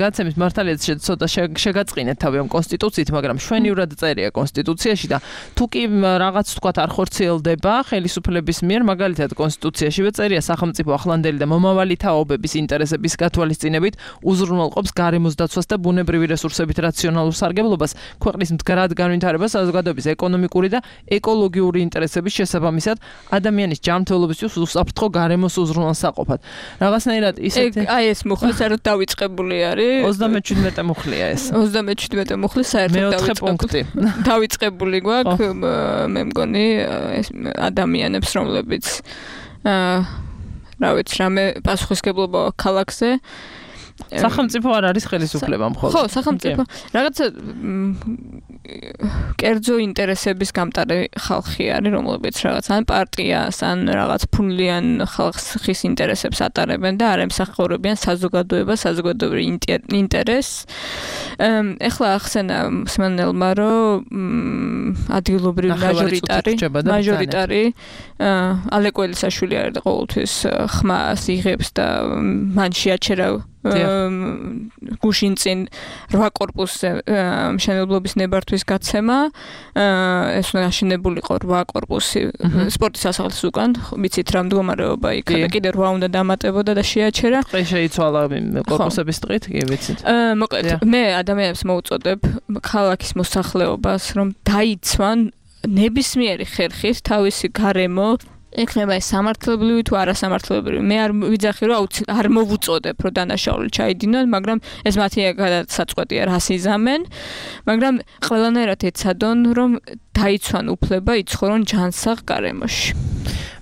გაცემის მართალია ცოტა შეგაწყინეთ თავი ამ კონსტიტუციით, მაგრამ შვენიურად წერია კონსტიტუციაში და თუ კი რაღაც თქვათ არ ხორციელდება ხელისუფლების მიერ, მაგალითად კონსტიტუციაშივე წერია სახელმწიფო ახლანდელი და მომავალი თაობების ინტერესების გათვალისწინებით უზრუნველყოფს გარემოს დაცვას და ბუნებრივი რესურსებით რაციონალურ სარგებლობას, ქვეყნის მდგრად განვითარებას, საზოგადოების ეკონომიკური და ეკოლოგიური ინტერესების შესაბამისად ადამიანის ჯანმრთელობისთვის უსაფრთხო გარემოს უზრუნველსაყოფად. რაღაცნაირად ისეთი აი ეს მუხლი საერთოდ დავიწყებული არის 37 მუხლია ეს 37 მუხლი საერთოდ დავიწყებული გვაქვს მე მგონი ეს ადამიანებს რომლებიც რა ვიცი რამე პასუხისმგებლობა ქალაქზე სახელმწიფო არ არის ხელისუფლება მხოლოდ. ხო, სახელმწიფო. რაღაცა კერძო ინტერესების გამტარი ხალხი არის, რომლებიც რაღაც ან პარტიას, ან რაღაც ფულიან ხალხის ინტერესებს ატარებენ და არ ემსახურებიან საზოგადოებას, საზოგადოებრივ ინტერესს. ეხლა ახსენა მსმენელმა, რომ ადგილობრივი მაჟორიტარი ალე კველისაშვილი არის და ყოველთვის ხმას იღებს და მან შეაჩერა გუშინ წინ 8 კორპუსზე მშენებლობის ნებართვის გაცემა. ეს უნდა აშენებულიყო 8 კორპუსი სპორტის სასახლის უკან. ვიცით რა მდგომარეობა იქ კიდე 8 უნდა დამატებოდა და შეაჩერა. დღე შეიცვალა კორპუსების ტყით, კი ვიცით. მოკლედ მე ადამიანებს მოუწოდებ ქალაქის მოსახლეობას რომ დაიცვან ნებისმიერი ხერხით თავისი გარემო ექნება ეს სამართლებრივი თუ არასამართლებრივი. მე არ ვიძახი რომ არ მოვუწოდებ რომ დანაშაული ჩაიდინონ, მაგრამ ეს მათი გადასაწყვეტია რას იზამენ, მაგრამ ყველანაირად ეცადონ რომ დაიცვან უფლება იცხოვრონ ჯანსაღ გარემოში.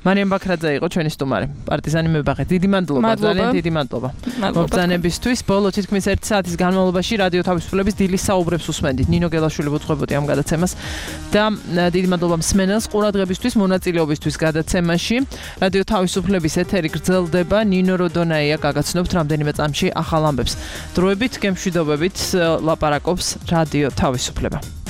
მარიამ ბაქრაძე იყო ჩვენი სტუმარი. პარტიზანი მებაღე. დიდი მადლობა, ძალიან დიდი მადლობა. მოგზაურობისთვის. ბოლო თითქმის 1 საათის განმავლობაში რადიო თავისუფლების დილის საუბრებს უსმენდით. ნინო გელაშვილი ვუძღვებოდი ამ გადაცემას და დიდი მადლობა მსმენელს ყურადღებისთვის, მონაწილეობისთვის გადაცემაში. რადიო თავისუფლების ეთერი გრძელდება. ნინო როდონაია გაგაცნობთ რამდენიმე წამში ახალ ამბებს. დროებით, გემშვიდობებით ლაპარაკობს რადიო თავისუფლება.